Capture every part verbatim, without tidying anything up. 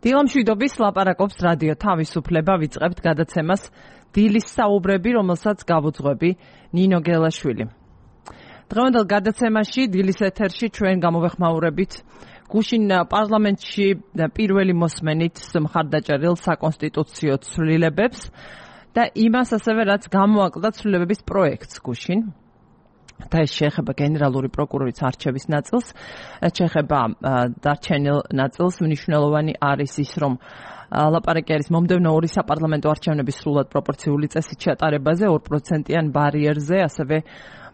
დილამშვიდობის ლაპარაკობს რადიო თავისუფლება, ვიწყებთ გადაცემას დილის საუბრები, რომელსაც გავუძღვები ნინო გელაშვილი. დღევანდელ გადაცემაში დილის ეთერში ჩვენ გამოვეხმაურებით გუშინ პარლამენტში პირველი მოსმენით მხარდაჭერილ საკონსტიტუციო ცვლილებებს და იმას ასევე რაც გამოაკლდა ცვლილებების პროექტს გუშინ. და ეს შეეხება გენერალური პროკურორის არჩევის ნაწილს, შეეხება დარჩენილ ნაწილს. მნიშვნელოვანი არის ის, რომ ლაპარაკი არის მომდევნო ორი საპარლამენტო არჩევნების სრულად პროპორციული წესით ჩატარებაზე, ორ პროცენტიან ბარიერზე, ასევე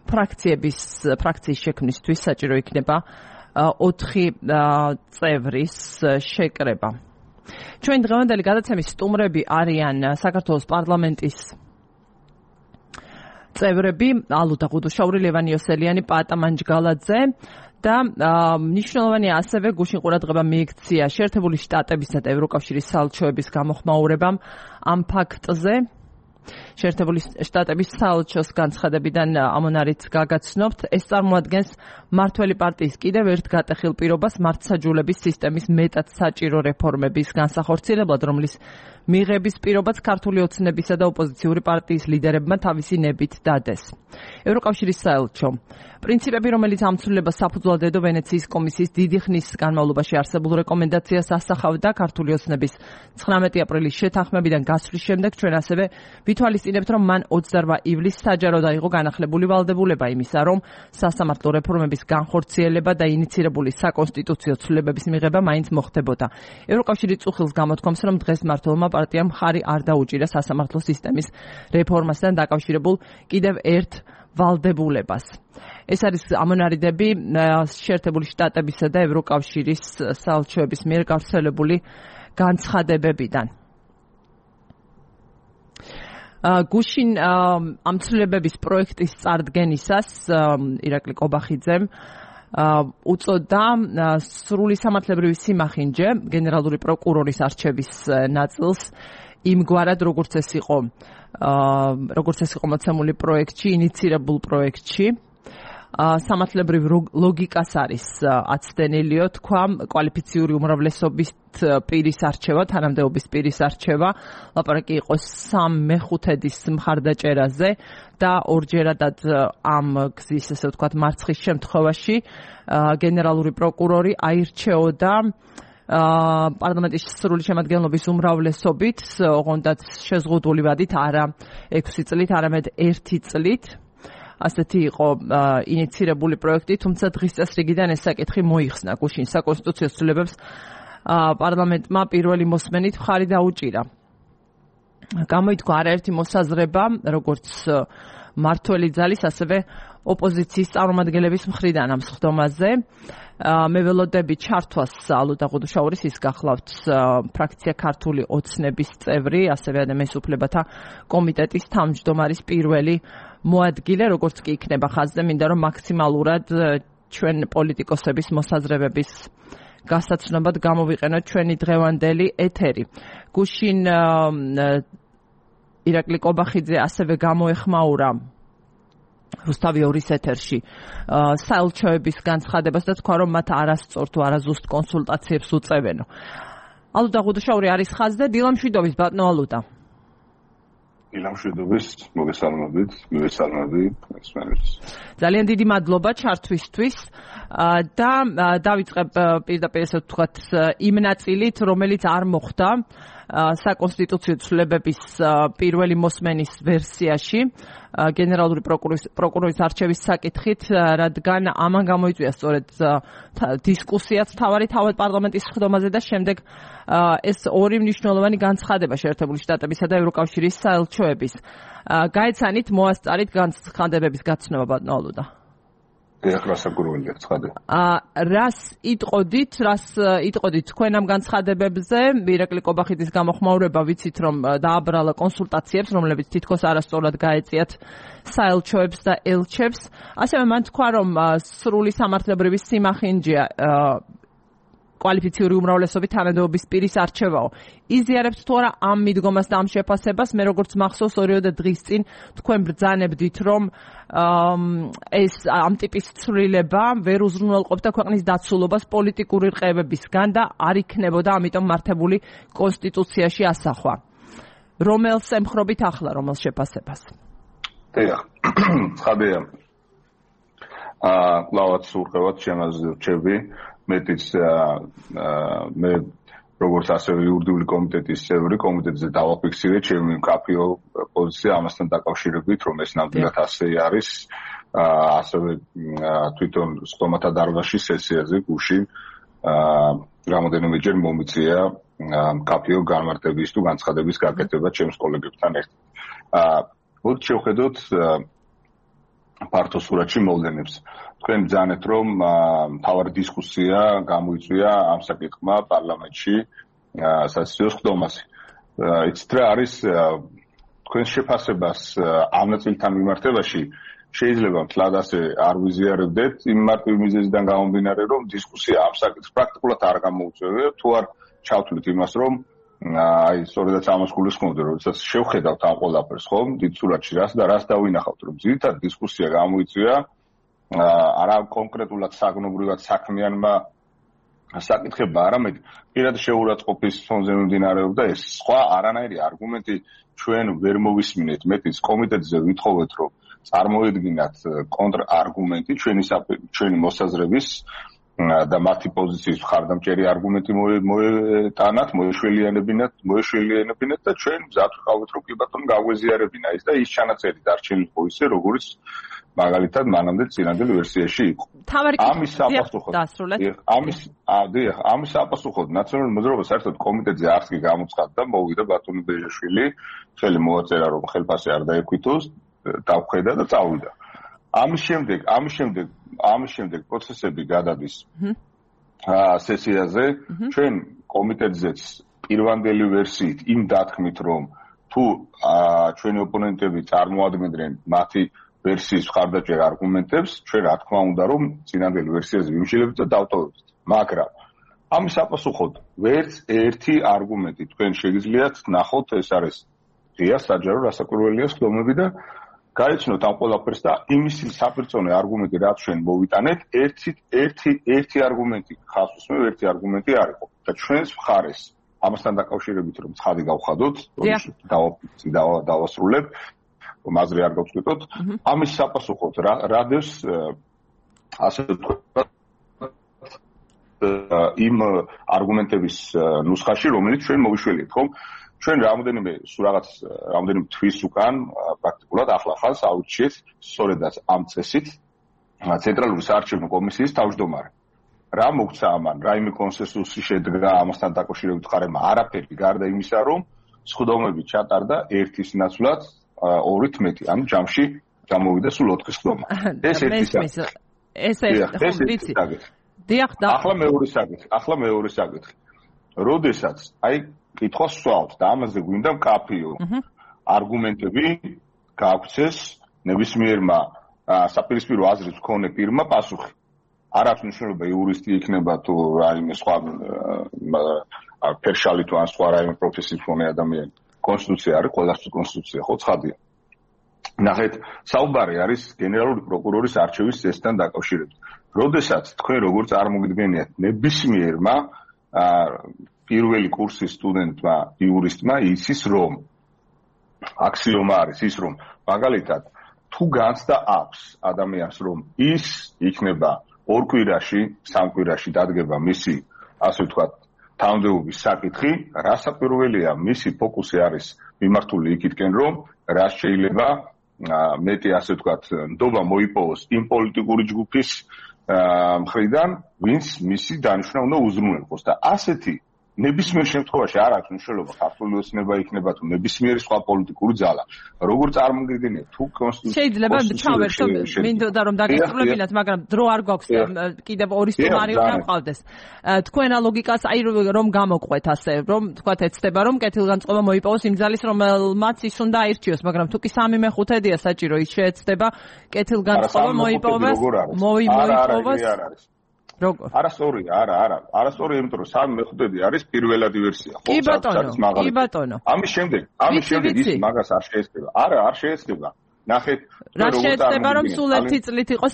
ფრაქციების ფრაქციის შექმნისთვის საჭირო იქნება ოთხი წევრის შეკრება. ჩვენ დღევანდელი გადაცემის სტუმრები არიან საქართველოს პარლამენტის წევრები ალუდა ღუდუშაური, ლევან იოსელიანი, პაატა მანჯგალაძე და მნიშვნელოვანია ასევე გუშინ ყურადღება მიექცია შეერთებული შტატებისა და ევროკავშირის საელჩოების გამოხმაურებამ ამ ფაქტზე. შეერთებული შტატების საელჩოს განცხადებიდან ამონარით გაგაცნობთ, ეს წარმოადგენს მმართველი პარტიის კიდევ ერთ გატეხილ პირობას მართლმსაჯულების სისტემის მეტად საჭირო რეფორმების განსახორციელებლად, რომლის მიღების პირობაც ქართული ოცნებისა და ოპოზიციური პარტიის ლიდერებმა თავისი ნებით დადეს. ევროკავშირის საელჩო პრინციპები, რომელიც ამ ცვლილებას საფუძვლად ედო ვენეციის კომისიის დიდი ხნის განმავლობაში არსებულ რეკომენდაციას ასახავდა ქართული ოცნების ცხრამეტი აპრილის შეთანხმებიდან გასვლის შემდეგ, ჩვენ ასევე ვითვალისწინებთ, რომ მან ოცდაორ ივლისს საჯაროდ აიღო განახლებული ვალდებულება იმისა, რომ სასამართლო რეფორმების განხორციელება და ინიცირებული საკონსტიტუციო ცვლილებების მიღება მაინც მოხდებოდა. ევროკავშირი წუხილს გამოთქვამს, რომ დღეს მმართველმა პარტიამ მხარი არ დაუჭირა სასამართლო სისტემის რეფორმასთან დაკავშირებულ კიდევ ერთ ვალდებულებას. ეს არის ამონარიდები შეერთებული შტატებისა და ევროკავშირის საელჩოების მიერ გავრცელებული განცხადებებიდან. გუშინ ამ ცვლილებების პროექტის წარდგენისას ირაკლი კობახიძემ უწოდა სრული სამართლებრივი სიმახინჯე გენერალური პროკურორის არჩევის ნაწილს იმგვარად, როგორც ეს იყო როგორც ეს იყო მოცემული პროექტში, ინიცირებულ პროექტში. სამართლებრივ ლოგიკას არის აცდენილიო, თქვა, კვალიფიციური უმრავლესობის პირის არჩევა, თანამდებობის პირის არჩევა, ლაპარაკი იყო სამ მეხუთედის მხარდაჭერაზე და ორჯერადად ამ გზის, ესე ვთქვათ, მარცხის შემთხვევაში გენერალური პროკურორი აირჩეოდა პარლამენტის სრული შემადგენლობის უმრავლესობით, ოღონდაც შეზღუდული ვადით, არა ექვსი წლით, არამედ ერთი წლით. ასეთი იყო ინიცირებული პროექტი, თუმცა დღის წესრიგიდან ეს საკითხი მოიხსნა. გუშინ საკონსტიტუციო ცვლილებებს პარლამენტმა პირველი მოსმენით მხარი დაუჭირა. გამოითქვა არაერთი მოსაზრება, როგორც მმართველი ძალის, ასევე ოპოზიციის წარმომადგენლების მხრიდან ამ სხდომაზე. მე ველოდები ჩართვას ალუდა ღუდუშაურის, ის გახლავთ ფრაქცია ქართული ოცნების წევრი, ასევე ადამიანის უფლებათა კომიტეტის თავმჯდომარის პირველი მოადგილე, როგორც კი იქნება ხაზზე, მინდა რომ მაქსიმალურად ჩვენ პოლიტიკოსების მოსაზრებების გასაცნობად გამოვიყენოთ ჩვენი დღევანდელი ეთერი. გუშინ ირაკლი კობახიძე ასევე გამოეხმაურა რუსთავი ორის ეთერში საელჩოების განცხადებას და თქვა, რომ მათ არასწორ თუ არაზუსტ კონსულტაციებს უწევენო. ალუდა ღუდუშაური არის ხაზზე, დილამშვიდობის ბატონო ალუდა. დილამშვიდობის, მოგესალმებით, მივესალმები მსმენელს. ძალიან დიდი მადლობა ჩართვისთვის და დავიწყებ პირდაპირ ესე ვთქვათ იმ ნაწილით, რომელიც არ მოხდა საკონსტიტუციო ცვლილებების პირველი მოსმენის ვერსიაში გენერალური პროკურორის არჩევის საკითხით, რადგან ამან გამოიწვია სწორედ დისკუსიაც თავარი თავად პარლამენტის სხდომაზე და შემდეგ ეს ორი მნიშვნელოვანი განცხადება შეერთებული შტატებისა და ევროკავშირის საელჩოების. გაეცანით მოასწარით განცხადებების გაცნობა ბატონო ალუდა. ეხლა საკურველია ცხადე. რას იტყოდით, რას იტყოდით თქვენ ამ განცხადებებზე? ირაკლი კობახიძის გამოხმაურება ვიცით, რომ დააბრალა კონსულტაციებს, რომლებიც თითქოს არასწორად გაეწიათ საელჩოებს და ელჩებს. ასევე მან თქვა, რომ სრული სამართლებრივი სიმახინჯეა კვალიფიციური უმრავლესობით თანამდებობის პირის არჩევაო. იზიარებთ თუ არა ამ მიდგომას და ამ შეფასებას? მე როგორც მახსოვს ორიოდე დღის წინ თქვენ ბრძანებდით, რომ ეს ამ ტიპის ცვლილება ვერ უზრუნველყოფდა ქვეყნის დაცულობას პოლიტიკური რყევებისგან და არ იქნებოდა ამიტომ მართებული კონსტიტუციაში ასახვა. რომელს ემხრობით ახლა, რომელ შეფასებას? დიახ, ცხადია. აა, კლავაც ურყევად შემაზე რჩები, მეტიც მე როგორც ასევე იურიდიული კომიტეტის წევრი, კომიტეტზე დავაფიქსირე ჩემი მკაფიო პოზიცია ამასთან დაკავშირებით, რომ ეს ნამდვილად ასე არის. აა, ასევე თვითონ სტომათა დარბაზში სესიაზე გუშინ აა, რამოდენიმეჯერ მომიწია მკაფიო განმარტების თუ განცხადების გაკეთება ჩემს კოლეგებთან ერთად. აა, მოდით შევხედოთ ფართო სურათში მოვლენებს. თქვენ ბრძანეთ, რომ მთავარი დისკუსია გამოიწვია ამ საკითხმა პარლამენტში სასიძვო ხდომაზე. იცით რა არის თქვენს შეფასებას ამ ნაწილთან მიმართებაში შეიძლება მთლად ასე არ ვიზიარებდეთ იმ მარტივი მიზეზიდან გამომდინარე, რომ დისკუსია ამ საკითხს პრაქტიკულად არ გამოუწევია, თუ არ ჩავთვლით იმას, რომ აი სწორედაც ამას გულისხმობდი, როდესაც შევხედავთ ამ ყველაფერს, ხომ, დიდ სურათში რას და რას დავინახავთ, რომ ძირითადად დისკუსია გამოიწვია არა კონკრეტულად საგნობრივად საქმიანმა საკითხებმა, არამედ პირად შეურაცხყოფის ფონზე მიმდინარეობდა ეს. სხვა არანაირი არგუმენტი ჩვენ ვერ მოვისმინეთ. მეტიც კომიტეტზე ვითხოვეთ, რომ წარმოედგინათ კონტრარგუმენტი ჩვენი ჩვენი მოსაზრების და მათი პოზიციის მხარდამჭერი არგუმენტი მოეტანათ, მოეშველიანებინათ, მოეშველიანებინათ და ჩვენ მზად ვიყავით, რომ კი ბატონო გაგვეზიარებინა ის და ის ჩანაწერი დარჩენილიყო ისე, როგორც მაგალითად მანამდე წინანდელ ვერსიაში იყო. ამის საპასუხოდ ამის დიახ, ამის საპასუხოდ ნაციონალური მოძრაობა საერთოდ კომიტეტზე არც კი გამოცხადდა, მოვიდა ბატონი ბეჟაშვილი, ხელი მოაწერა, რომ ხელფასი არ დაექვითოს, დავხედა და წავიდა. ამის შემდეგ, ამის შემდეგ, ამის შემდეგ პროცესები გადადის სესიაზე, ჩვენ კომიტეტზეც პირვანდელი ვერსიით იმ დათქმით, რომ თუ ჩვენი ოპონენტები წარმოადგენდნენ მათი ვერსიის მხარდაჭერ არგუმენტებს, ჩვენ რა თქმა უნდა, რომ წინანდელ ვერსიაზე ვიმშილებთ და დავტოვებთ. მაგრამ ამის საპასუხოდ ვერც ერთი არგუმენტი თქვენ შეგიძლიათ ნახოთ, ეს არის ღია საჯარო რასაკვირველია ხდომები და გაიცნოთ ამ ყველაფერს და იმის საპირწონე არგუმენტი, რაც ჩვენ მოვიტანეთ, ერთი ერთი ერთი არგუმენტი ხავს უსმევ, ერთი არგუმენტი არ იყო და ჩვენს მხარეს ამასთან დაკავშირებით რომ ცხადი გავხადოთ, დავასრულებ, მაზრი არ გავწყვიტოთ, ამის საპასუხოდ რადევს ასე ვთქვათ იმ არგუმენტების ნუსხაში, რომელიც ჩვენ მოვიშველიეთ, ხომ? ჩვენ რამოდენიმე რაღაც რამოდენიმე თვის უკან პრაქტიკულად ახლა ხალხს აუჩიეთ სწორედაც ამ წესით ცენტრალური საარჩევნო კომისიის თავმჯდომარე. რა მოგცა ამან, რაიმე კონსენსუსი შედგა ამასთან დაკავშირებით ხარება, არაფერი გარდა იმისა, რომ სხდომები ჩატარდა ერთის ნაცვლად ორით მეტი, ანუ ჯამში გამოვიდა სულ ოთხი სხდომა. ეს ერთი საკითხი. ეს ერთი ვიცი. დიახ, და ახლა მეორე საკითხი, ახლა მეორე საკითხი. როდესაც აი კითხვას ვსვავთ და ამაზე გვინდა მკაფიო არგუმენტები გაგვცეს ნებისმიერმა საპირისპირო აზრის მქონე პირმა პასუხი. არ აქვს მნიშვნელობა იურისტი იქნება თუ რაიმე სხვა ფერშალი თუ ან სხვა რაიმე პროფესიის მქონე ადამიანი. კონსტიტუცია არის, ყველასთვის კონსტიტუცია, ხო, ცხადია. ნახეთ, საუბარი არის გენერალური პროკურორის არჩევის წესთან დაკავშირებით. როდესაც თქვენ როგორც წარმოგიდგენიათ, ნებისმიერმა პირველი კურსის სტუდენტმა იურისტმა იცის, რომ აქსიომა არის ის, რომ მაგალითად თუ განცდა აქვს ადამიანს, რომ ის იქნება ორ კვირაში, სამ კვირაში დადგება მისი, ასე ვთქვათ, თანამდებობის საკითხი, რასაკვირველია, მისი ფოკუსი არის მიმართული იქითკენ, რომ რა შეიძლება მეტი, ასე ვთქვათ, ნდობა მოიპოვოს იმ პოლიტიკური ჯგუფის მხრიდან, ვინც მისი დანიშვნა უნდა უზრუნველყოს და ასეთი ნებისმიერ შემთხვევაში არ აქვს მნიშვნელობა ქართული ოცნება იქნება თუ ნებისმიერი სხვა პოლიტიკური ძალა. როგორ წარმოგიდგენიათ თუ კონსტიტუცია შეიძლება ჩავერთო, მინდოდა რომ დაგესრულებინათ, მაგრამ დრო არ გვაქვს, კიდევ ორი სტუმარი უნდა მყავდეს. თქვენა ლოგიკას აი რომ გამოყვეთ ასე, რომ თქვათ ეცდება რომ კეთილგანწყობა მოიპოვოს იმ ძალის, რომელმაც ის უნდა აირჩიოს, მაგრამ თუ კი სამი მეხუთედია საჭირო ის შეეცდება კეთილგანწყობა მოიპოვოს, მოიპოვოს. როგორ? არასწორია, არა, არა. არასწორია, იმიტომ რომ სამი მეხუთედი არის პირველადი ვერსია. კი ბატონო, კი ბატონო. ამის შემდეგ, ამის შემდეგ ის მაგას არ შეეცდება. არა, არ შეეცდება. ნახეთ, რა შეეცდება რომ სულ ერთი წლით იყოს.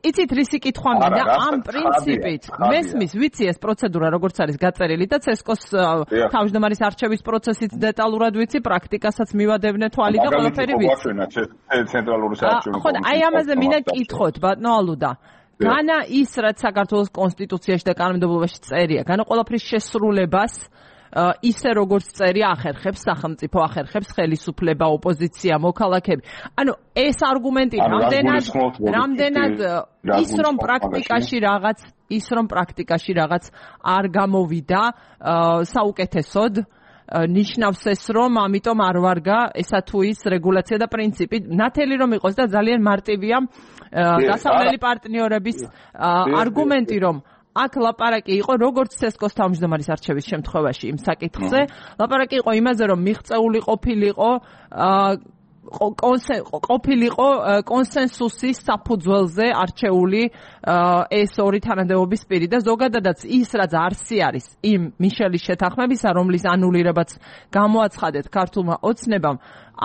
იცით რისი კითხვა მინდა? ამ პრინციპით მესმის, ვიცი ეს პროცედურა როგორც არის გაწერილი და ცესკოს თავმჯდომარის არჩევის პროცესიც დეტალურად ვიცი, პრაქტიკასაც მივადევნე თვალი და ყველაფერი ვიცი. ცენტრალური საარჩევნო ხო, აი ამაზე მინდა კითხოთ, ბატონო ალუდა. განა ის რაც საქართველოს კონსტიტუციაში და კანონმდებლობაში წერია, განა ყველაფრის შესრულებას ისე როგორც წერია ახერხებს სახელმწიფო, ახერხებს ხელისუფლება, ოპოზიცია, მოქალაქეები. ანუ ეს არგუმენტი რამდენად რამდენად ის რომ პრაქტიკაში რაღაც ის რომ პრაქტიკაში რაღაც არ გამოვიდა საუკეთესოდ ნიშნავს ეს რომ ამიტომ არ ვარგა ესა თუ ის რეგულაცია და პრინციპი ნათელი რომ იყოს და ძალიან მარტივია დასავლელი პარტნიორების არგუმენტი რომ აქ ლაპარაკი იყო როგორც ცესკოს თავმჯდომარის არჩევის შემთხვევაში იმ საკითხზე ლაპარაკი იყო იმაზე რომ მიღწეული ყოფილიყო ყოფილიყო კონსენსუსის საფუძველზე არჩეული ეს ორი თანამდებობის პირი და ზოგადადაც ის რაც არსი არის იმ მიშელის შეთანხმებისა რომლის ანულირებაც გამოაცხადეთ ქართულმა ოცნებამ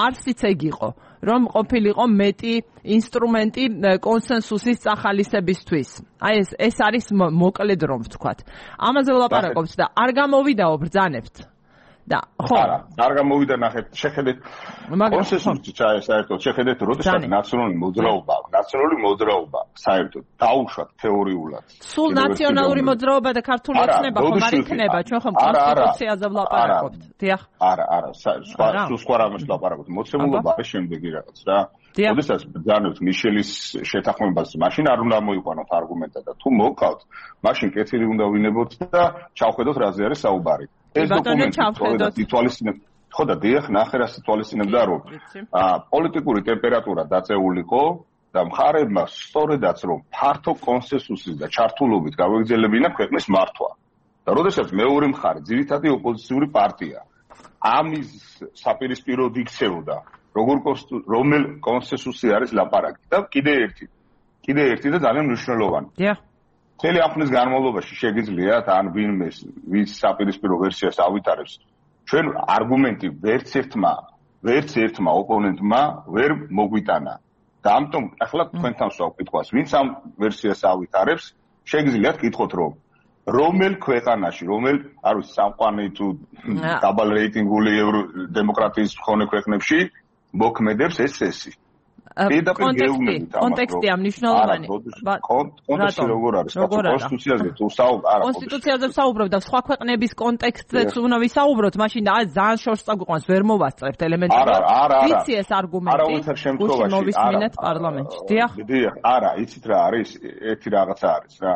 არსიც ეგ იყო რომ ყოფილიყო მეტი ინსტრუმენტი კონსენსუსის წახალისებისთვის აი ეს ეს არის მოკლედ რომ ვთქვათ ამაზე ვლაპარაკობთ და არ გამოვიდაო ბრძანებთ და ხო არა არ გამოვიდა ნახეთ შეხედეთ კონსენსუსი საერთოდ შეხედეთ როდესაც ნაციონალური მოძრაობა ნაციონალური მოძრაობა საერთოდ დაუშვათ თეორიულად სულ ნაციონალური მოძრაობა და ქართული ოცნება ხომ არ იქნება ჩვენ ხომ კონსტიტუციაზე ვლაპარაკობთ დიახ არა არა სხვა სულ სხვა რამეს ვლაპარაკობთ მოცემულობა არის შემდეგი რაღაც რა როდესაც ბრძანებთ მიშელის შეთანხმებას მაშინ არ უნდა მოიყვანოთ არგუმენტად და თუ მოვყავთ მაშინ კეთილი უნდა ვინებოთ და ჩავხედოთ რაზე არის საუბარი ეს დოკუმენტი ითვალისწინებთ ხო და დიახ ნახე რა სიტუაციებდა რომ პოლიტიკური ტემპერატურა დაწეულიყო და მხარეებმა სწორედაც რომ ფართო კონსენსუსის და ჩართულობით გავეგრძელებინა ქვეყნის მართვა და როდესაც მეორე მხარე ძირითადი ოპოზიციური პარტია ამის საპირისპიროდ იქცეოდა როგორ რომელ კონსენსუსი არის ლაპარაკი და კიდე ერთი კიდე ერთი და ძალიან მნიშვნელოვანი დიახ მთელი ამ ხნის განმავლობაში შეგიძლიათ ან ვინმეს ვის საპირისპირო ვერსიას ავითარებს ჩვენ არგუმენტი ვერც ერთმა ვერც ერთმა ოპონენტმა ვერ მოგვიტანა და ამიტომ ახლა თქვენთან ვსაუბრობთ ვინც ამ ვერსიას ავითარებს შეგიძლიათ კითხოთ რომ რომელ ქვეყანაში რომელ არ ვიცი სამყარო თუ დაბალ რეიტინგული დემოკრატიის მქონე ქვეყნებში მოქმედებს ეს წესი კონტექსტი კონტექსტია მნიშვნელოვანი კონტექსტი როგორ არის კონსტიტუციაზე თუ საუბრობ კონსტიტუციაზე საუბრობ და სხვა ქვეყნების კონტექსტზეც უნდა ვისაუბროთ მაშინ და ძალიან შორს წაგვიყვანს ვერ მოვასწრებთ ელემენტარულად ვიცი ეს არგუმენტი გუშინ მოვისმინეთ პარლამენტში დიახ დიახ არა იცით რა არის ერთი რაღაცა არის რა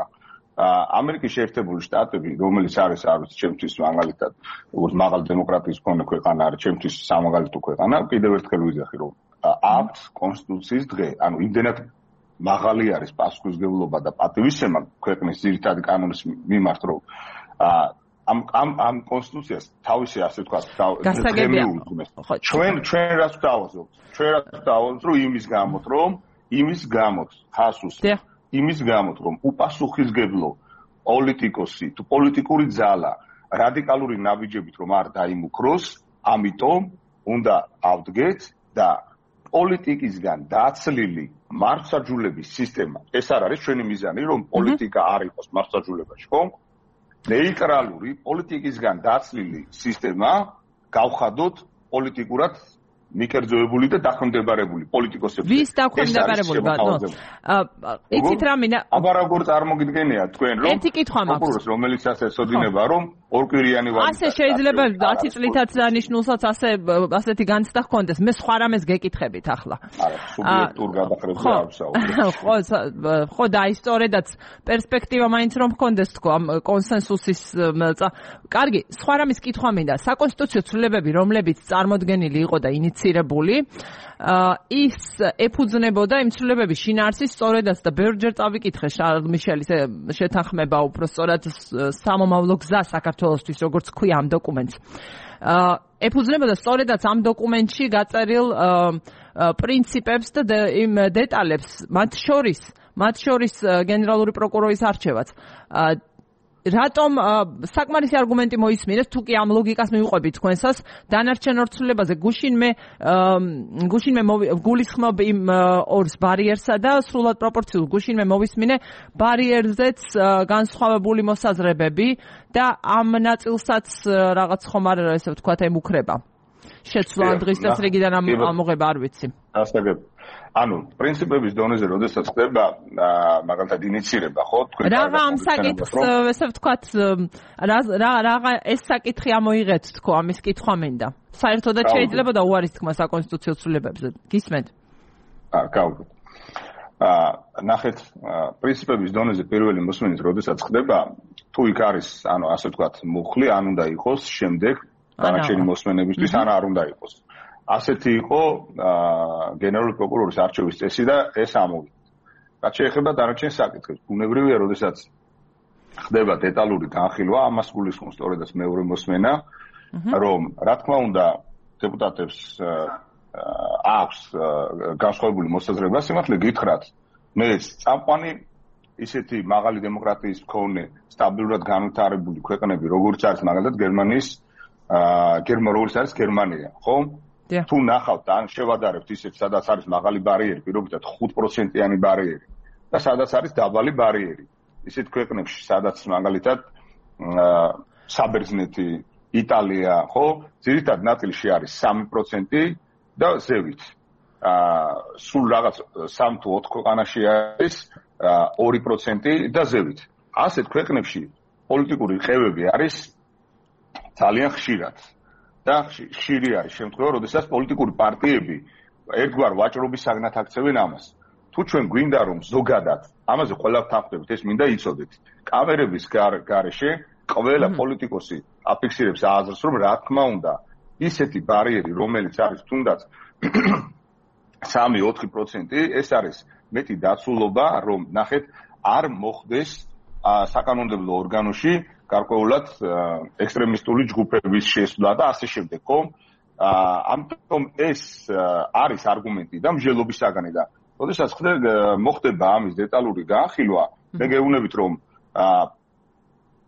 ამერიკის შეერთებული შტატები რომელიც არის არ ვიცი ჩემთვის მაგალითად როგორც მაღალი დემოკრატიის მქონე ქვეყანა არის ჩემთვის სამაგალითო ქვეყანა კიდევ ერთხელ ვიძახი რომ აქვთ კონსტიტუციის დღე, ანუ იმდენად მაღალი არის პასუხისმგებლობა და პატივისცემა ქვეყნის ძირითადი კანონის მიმართ, რომ ამ ამ ამ კონსტიტუციას თავისი ასე ვთქვათ, ჩვენ ჩვენ რაც დავაზობთ, ჩვენ რაც დავაზობთ, რომ იმის გამოთ, რომ იმის გამოთ, ხასუს, იმის გამოთ, რომ უპასუხისმგებლო პოლიტიკოსი თუ პოლიტიკური ძალა რადიკალური ნაბიჯებით რომ არ დაიმუქროს, ამიტომ უნდა ავდგეთ და პოლიტიკისგან დაცლილი მართლმსაჯულების სისტემა ეს არ არის ჩვენი მიზანი რომ პოლიტიკა არ იყოს მართლმსაჯულებაში ხო ნეიტრალური პოლიტიკისგან დაცლილი სისტემა გავხადოთ პოლიტიკურად მიკერძოებული და დაქვემდებარებული პოლიტიკოსები ვის დაქვემდებარებული ბატონო იცით რა მინდა აბა როგორ წარმოგიდგენია თქვენ რომ ერთი კითხვა მაქვს რომელიც ასე ეცოდინება რომ ორკვირიანი ვარ ასე შეიძლება ათი წლითაც დანიშნულსაც ასე ასეთი განცდა ჰქონდეს მე სხვა რამეს გეკითხებით ახლა არა სუბიექტურ გადახრებზე არ ვსაუბრობ ხო ხო და ისტორიადაც პერსპექტივა მაინც რომ ჰქონდეს თქო ამ კონსენსუსის კარგი სხვა რამის კითხვა მინდა საკონსტიტუციო ცვლილებები რომლებიც წარმოდგენილი იყო და ინიცირებული ის ეფუძნებოდა იმ ცვლილებების შინაარსის სწორედაც და ბევრჯერ წავიკითხე შარლ მიშელის შეთანხმება უფრო სწორად სამომავლო გზა საქართველოსთვის როგორც ქვია ამ დოკუმენტს ეფუძნებოდა სწორედაც ამ დოკუმენტში გაწერილ პრინციპებს და იმ დეტალებს მათ შორის მათ შორის გენერალური პროკურორის არჩევაც. რატომ საკმარისი არგუმენტი მოისმინეთ, თუ კი ამ ლოგიკას მივუყვებით თქვენსას, დანარჩენ ორცვლილებაზე გუშინმე გუშინმე გულისხმობ იმ ორს ბარიერსა და სრულად პროპორციულ გუშინმე მოვისმინე ბარიერზეც განსხვავებული მოსაზრებები და ამ ნაწილსაც რაღაც ხომ არ ესე ვთქვათ ემუქრება. შეცვლა დღის წესრიგიდან ამოღება არ ვიცი. ასაგებ. ანუ პრინციპების დონეზე როდესაც ხდება მაგალითად ინიცირება, ხო? თქვენ რაღა ამ საკითხს ესე ვთქვათ რა რა ეს საკითხი ამოიღეთ თქო, ამის კითხვა მინდა. საერთოდაც შეიძლება და უარის თქმა საკონსტიტუციო ცვლილებებზე. გისმენთ? აა, გავიგე. აა, ნახეთ, პრინციპების დონეზე პირველი მოსმენით როდესაც ხდება, თუ იქ არის, ანუ ასე ვთქვათ, მუხლი, ან უნდა იყოს შემდეგ დანარჩენი მოსმენებისთვის, ან არ უნდა იყოს. ასეთი იყო გენერალური პროკურორის არჩევის წესი და ეს ამოვიდა. რაც შეეხება დანარჩენ საკითხებს, ბუნებრივია, როდესაც ხდება დეტალური განხილვა, ამას გულისხმობს სწორედაც მეორე მოსმენა, რომ რა თქმა უნდა დეპუტატებს აქვს განსხვავებული მოსაზრება, სიმართლე გითხრათ, მე წამყვანი ისეთი მაღალი დემოკრატიის მქონე, სტაბილურად განვითარებული ქვეყნები, როგორც არის მაგალითად გერმანიის გერმანია, როგორც არის გერმანია, ხო? თუ ნახავთ ან შევადარებთ ისეთ, სადაც არის მაღალი ბარიერი, პირობითად ხუთ პროცენტიანი ბარიერი და სადაც არის დაბალი ბარიერი. ისეთ ქვეყნებში, სადაც მაგალითად საბერძნეთი, იტალია, ხო, ძირითად ნაწილში არის სამი პროცენტი და ზევით. სულ რაღაც სამი თუ ოთხ ქვეყანაში არის ორი პროცენტი და ზევით. ასეთ ქვეყნებში პოლიტიკური ყევები არის ძალიან ხშირად. და ხშირი არის შემთხვევა, როდესაც პოლიტიკური პარტიები ერთგვარ ვაჭრობის საგნად აქცევენ ამას. თუ ჩვენ გვინდა რომ ზოგადად ამაზე ყველა თანხმდებით, ეს მინდა იცოდეთ. კამერების გარეშე ყველა პოლიტიკოსი აფიქსირებს აზრს, რომ რა თქმა უნდა, ისეთი ბარიერი, რომელიც არის თუნდაც სამი ოთხი პროცენტი, ეს არის მეტი დაცულობა, რომ ნახეთ, არ მოხდეს საკანონმდებლო ორგანოში გარკვეულად ექსტრემისტული ჯგუფების შესვლა და ასე შემდეგ, ხო? ამიტომ ეს არის არგუმენტი და მსჯელობის საგანი და როდესაც მოხდება ამის დეტალური განხილვა, მე გეუბნებით, რომ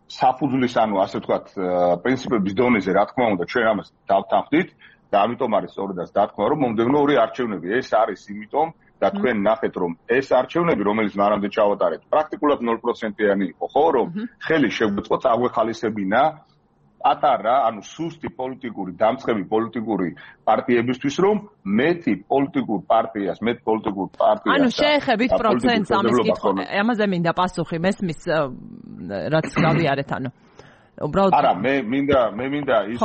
საფუძვლის, ანუ ასე ვთქვათ, პრინციპების დონეზე, რა თქმა უნდა, ჩვენ ამას დავთანხმდით და ამიტომ არის სწორედაც დათქმა, რომ მომდევნო ორი არჩევნები ეს არის იმიტომ და თქვენ ნახეთ, რომ ეს არჩევნები, რომელიც მანამდე ჩავატარეთ, პრაქტიკულად ნულ პროცენტიანი იყო, ხო, რომ ხელი შეგვეწყო წაგვეხალისებინა პატარა, ანუ სუსტი პოლიტიკური, დამწყები პოლიტიკური პარტიებისთვის, რომ მეტი პოლიტიკურ პარტიას, მეტ პოლიტიკურ პარტიას ანუ შეეხებით პროცენტს ამის კითხვა, ამაზე მინდა პასუხი, მესმის რაც გავიარეთ, ანუ უბრალოდ არა, მე მინდა მე მინდა ის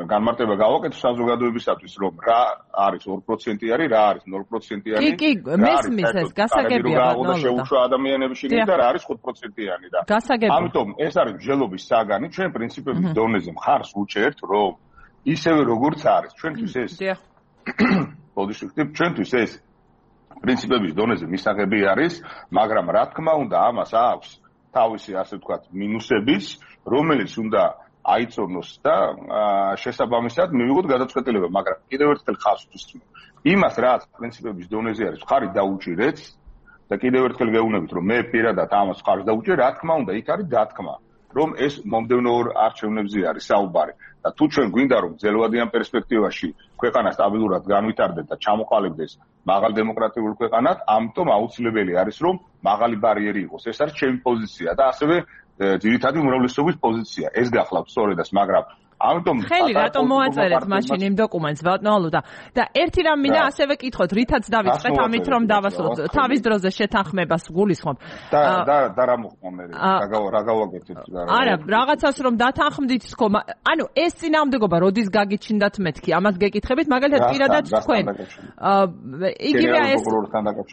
განმარტება გავაკეთო საზოგადოებისათვის, რომ რა არის ორი პროცენტიანი, რა არის ნულ პროცენტიანი. კი, კი, მესმის ეს გასაგებია ბატონო. შეუშვა ადამიანების შიგნით და რა არის ხუთ პროცენტიანი და. გასაგებია. ამიტომ ეს არის მსჯელობის საგანი, ჩვენ პრინციპების დონეზე მხარს ვუჭერთ, რომ ისევე როგორც არის, ჩვენთვის ეს ბოდიშიფტი, ჩვენთვის ეს პრინციპების დონეზე მისაღები არის, მაგრამ რა თქმა უნდა, ამას აქვს თავისი, ასე ვთქვათ, მინუსების, რომელიც უნდა აიწონოს და შესაბამისად მივიღოთ გადაწყვეტილება, მაგრამ კიდევ ერთხელ ხაზს ვუსმენ. იმას, რაც პრინციპების დონეზე არის, ხარი დაუჭირეთ და კიდევ ერთხელ გეუბნებით, რომ მე პირადად ამას ხარს დაუჭირე, რა თქმა უნდა, იქ არის დათქმა, რომ ეს მომდევნო ორ არჩევნებზე არის საუბარი. და თუ ჩვენ გვინდა რომ ძელვადიან პერსპექტივაში ქვეყანა სტაბილურად განვითარდეს და ჩამოყალიბდეს მაღალ დემოკრატიულ ქვეყანად, ამიტომ აუცილებელი არის რომ მაღალი ბარიერი იყოს. ეს არის ჩემი პოზიცია და ასევე ძირითადი უმრავლესობის პოზიცია. ეს გახლავთ სწორედაც, მაგრამ ამიტომ ხელი რატომ მოაწერეთ მაშინ იმ დოკუმენტს ბატონო და და ერთი რამ მინდა ასევე კითხოთ, რითაც დავიწყეთ ამით რომ დავასრულოთ. თავის დროზე შეთანხმებას გულისხმობ. და და და რა მოხდა მე? რა გავაკეთეთ და რა? არა, რაღაცას რომ დათანხმდით თქო, ანუ ეს წინააღმდეგობა როდის გაგიჩნდათ მეთქი? ამას გეკითხებით, მაგალითად პირადად თქვენ. იგივე ეს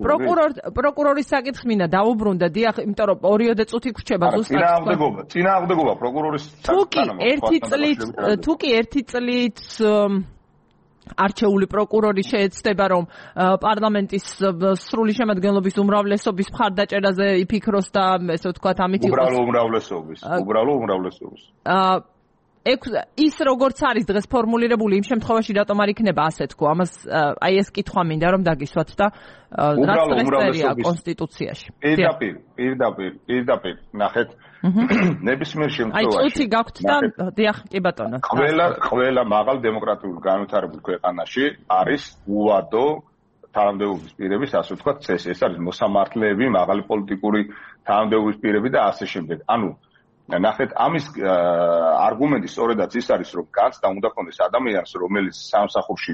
პროკურორ პროკურორის საკითხი მინდა დაუბრუნდა, დიახ, იმიტომ რომ ორიოდე წუთი გრჩება ზუსტად. წინააღმდეგობა, წინააღმდეგობა პროკურორის საკითხთან. ერთი წლით თუ კი ერთი წლით არჩეული პროკურორი შეეცდება რომ პარლამენტის სრული შემადგენლობის უმრავლესობის ის როგორც არის დღეს ფორმულირებული იმ შემთხვევაში რატომ არ იქნება ასე თქო ამას აი ეს კითხვა მინდა რომ დაგისვათ და რაც დღეს წერია კონსტიტუციაში პირდაპირ პირდაპირ პირდაპირ ნახეთ ნებისმიერ შემთხვევაში აი წუთი გაქვთ და დიახ კი ბატონო ყველა ყველა მაღალ დემოკრატიულ განვითარებულ ქვეყანაში არის უვადო თანამდებობის პირების ასე ვთქვათ წესი ეს არის მოსამართლეები მაღალი პოლიტიკური თანამდებობის პირები და ასე შემდეგ ანუ ნახეთ ამის არგუმენტი სწორედაც ის არის რომ განცდა უნდა ქონდეს ადამიანს რომელიც სამსახურში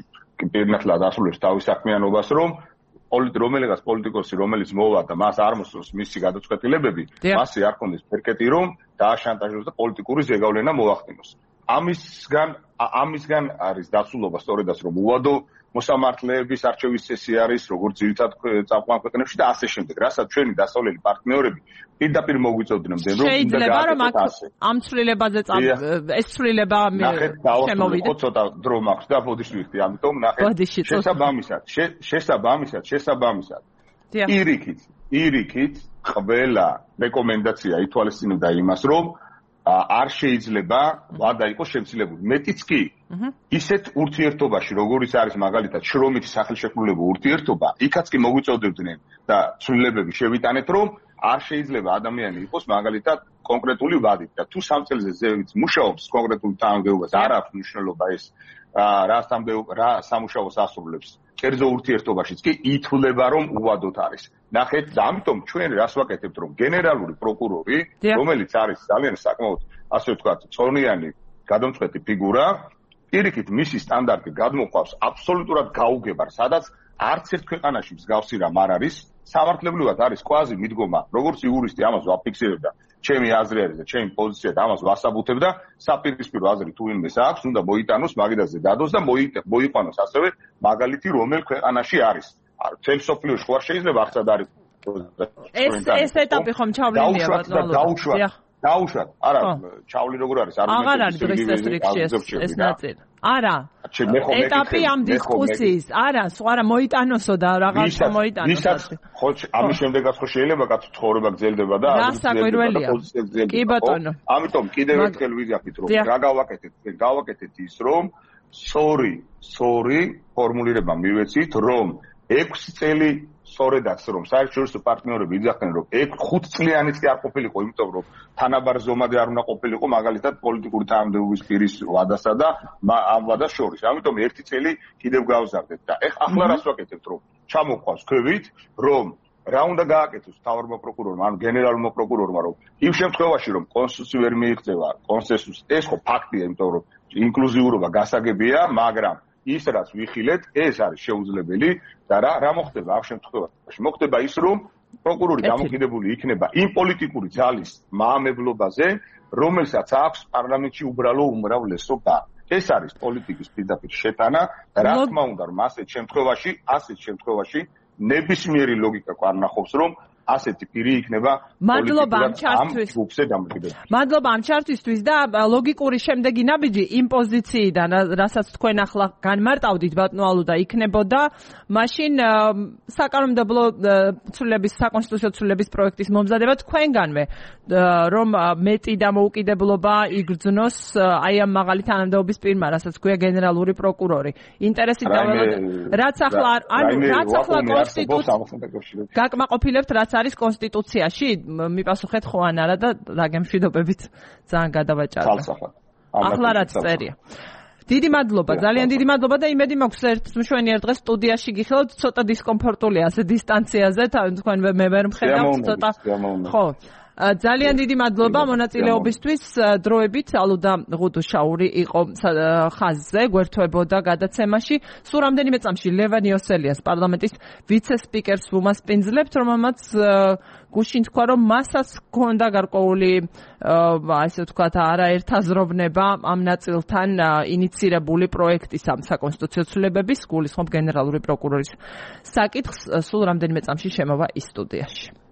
პირნათლად ასრულებს თავის საქმიანობას რომ რომელიღაც პოლიტიკოსი რომელიც მოვა და მას არ მოსწონს მისი გადაწყვეტილებები მასზე არ ქონდეს ფერკეტი რომ დააშანტაჟოს და პოლიტიკური ზეგავლენა მოახდინოს ამისგან ამისგან არის დასულობა სწორედაც რომ უვადო მოსამართლეების არჩევის წესი არის როგორც ძირითად წამყვან ქვეყნებში და ასე შემდეგ რასაც ჩვენი დასავლელი პარტნიორები პირდაპირ მოგვიწევდნენ რომ შეიძლება რომ ამ ცვლილებაზე ეს ცვლილება შემოვიდა ცოტა დრო მაქვს და ბოდიში ვიხდი ამიტომ ნახეთ შესაბამისად შესაბამისად შესაბამისად ირიქით ირიქით ყველა რეკომენდაცია ითვალისწინებდა იმას რომ არ შეიძლება ვადა იყოს შემცირებული. მეტიც კი ისეთ ურთიერთობაში, როგორიც არის მაგალითად შრომითი სახელშეკრულებო ურთიერთობა, იქაც კი მოგვიწევდებდნენ და ცვლილებები შევიტანეთ, რომ არ შეიძლება ადამიანი იყოს მაგალითად კონკრეტული ვადით და თუ სამ წელზე ზევით მუშაობს კონკრეტულ თანამდებობას, არ აქვს მნიშვნელობა ეს რა რა სამუშაოს ასრულებს. კერძო ურთიერთობაშიც კი ითვლება რომ უვადოთ არის. ნახეთ და ამიტომ ჩვენ რას ვაკეთებთ რომ გენერალური პროკურორი, რომელიც არის ძალიან საკმაოდ ასე ვთქვათ, წონიანი გადამწყვეტი ფიგურა, პირიქით მისი სტანდარტი გადმოყვავს აბსოლუტურად გაუგებარ, სადაც არც ერთ ქვეყანაში მსგავსი რამ არ არის, სამართლებრივად არის კვაზი მიდგომა, როგორც იურისტი ამას ვაფიქსირებ და ჩემი აზრი არის და ჩემი პოზიცია და ამას ვასაბუთებ და საპირისპირო აზრი თუ ვინმეს აქვს, უნდა მოიტანოს მაგიდაზე დადოს და მოიყვანოს ასევე მაგალითი რომელ ქვეყანაში არის. თელ სოფლიოში ხო არ შეიძლება აღწად არის. ეს ეს ეტაპი ხომ ჩავლენია ბატონო. დაუშვათ. არა, ჩავლი როგორ არის? აღარ არის დღეს ეს რიგში ეს ნაწილი. არა. ეტაპი ამ დისკუსიის. არა, სხვა რა მოიტანოსო და რაღაც მოიტანოს. ვისაც ხო ამის შემდეგაც ხო შეიძლება კაცო ცხოვრება გრძელდება და პოზიცია გრძელდება. კი ბატონო. ამიტომ კიდევ ერთხელ ვიზიაფით რომ რა გავაკეთეთ? გავაკეთეთ ის რომ sorry, sorry ფორმულირება მივეცით რომ ექვსი წელი სწორედაც რომ საერთაშორისო პარტნიორები იძახდნენ რომ ხუთ წლიანიც კი არ ყოფილიყო, იმიტომ რომ თანაბარ ზომაზე არ უნდა ყოფილიყო მაგალითად პოლიტიკური თანამდებობის პირის ვადასა და ამ ვადას შორის. ამიტომ ერთი წელი კიდევ გავზარდეთ და ახლა რას ვაკეთებთ რომ ჩამოყვავს ქვევით რომ რა უნდა გააკეთოს მთავარმა პროკურორმა ან გენერალურმა პროკურორმა რომ იმ შემთხვევაში რომ კონსტიტუცია ვერ მიიღწევა კონსენსუსს ეს ხო ფაქტია, იმიტომ რომ ინკლუზიურობა გასაგებია, მაგრამ ის რაც ვიხილეთ, ეს არის შეუძლებელი და რა რა მოხდება ამ შემთხვევაში? მოხდება ის, რომ პროკურორი დამოკიდებული იქნება იმ პოლიტიკური ძალის მაამებლობაზე, რომელსაც აქვს პარლამენტში უბრალო უმრავლესობა. ეს არის პოლიტიკის პირდაპირ შეტანა და რა თქმა უნდა, რომ ასეთ შემთხვევაში, ასეთ შემთხვევაში ნებისმიერი ლოგიკა კარნახობს, რომ ასეთი პირი იქნება მადლობა ამ ჩართვისთვის. მადლობა ამ ჩართვისთვის და ლოგიკური შემდეგი ნაბიჯი იმ პოზიციიდან, რასაც თქვენ ახლა განმარტავდით ბატონო ალუდა, იქნებოდა მაშინ საკანონმდებლო ცვლილების საკონსტიტუციო ცვლილების პროექტის მომზადება თქვენგანვე, რომ მეტი დამოუკიდებლობა იგრძნოს აი ამ მაღალი თანამდებობის პირმა, რასაც ქვია გენერალური პროკურორი. ინტერესით დაველოდოთ, რაც ახლა ანუ რაც ახლა კონსტიტუცია გაკმაყოფილებთ რაც არის კონსტიტუციაში, მიპასუხეთ ხო ან არა და დაგემშვიდობებით ძალიან გადავაჭარბე. ახლა რაც წერია. დიდი მადლობა, ძალიან დიდი მადლობა და იმედი მაქვს ერთ მშვენიერ დღეს სტუდიაში გიხილოთ, ცოტა დისკომფორტულია ასე დისტანციაზე, თქვენ მე ვერ მხედავთ ცოტა. ხო. ძალიან დიდი მადლობა მონაწილეობისთვის. დროებით ალუდა ღუდუშაური იყო ხაზზე, გვერდთვებოდა გადაცემაში. სულ რამდენიმე წამში ლევან იოსელიას პარლამენტის ვიცე-სპიკერს ვუმასპინძლებთ, რომელმაც გუშინ თქვა, რომ მასაც ჰქონდა გარკვეული ასე ვთქვათ, არაერთაზროვნება ამ ნაწილთან ინიცირებული პროექტის ამ საკონსტიტუციო ცვლილებების, გულისხმობ გენერალური პროკურორის საკითხს. სულ რამდენიმე წამში შემოვა ის სტუდიაში.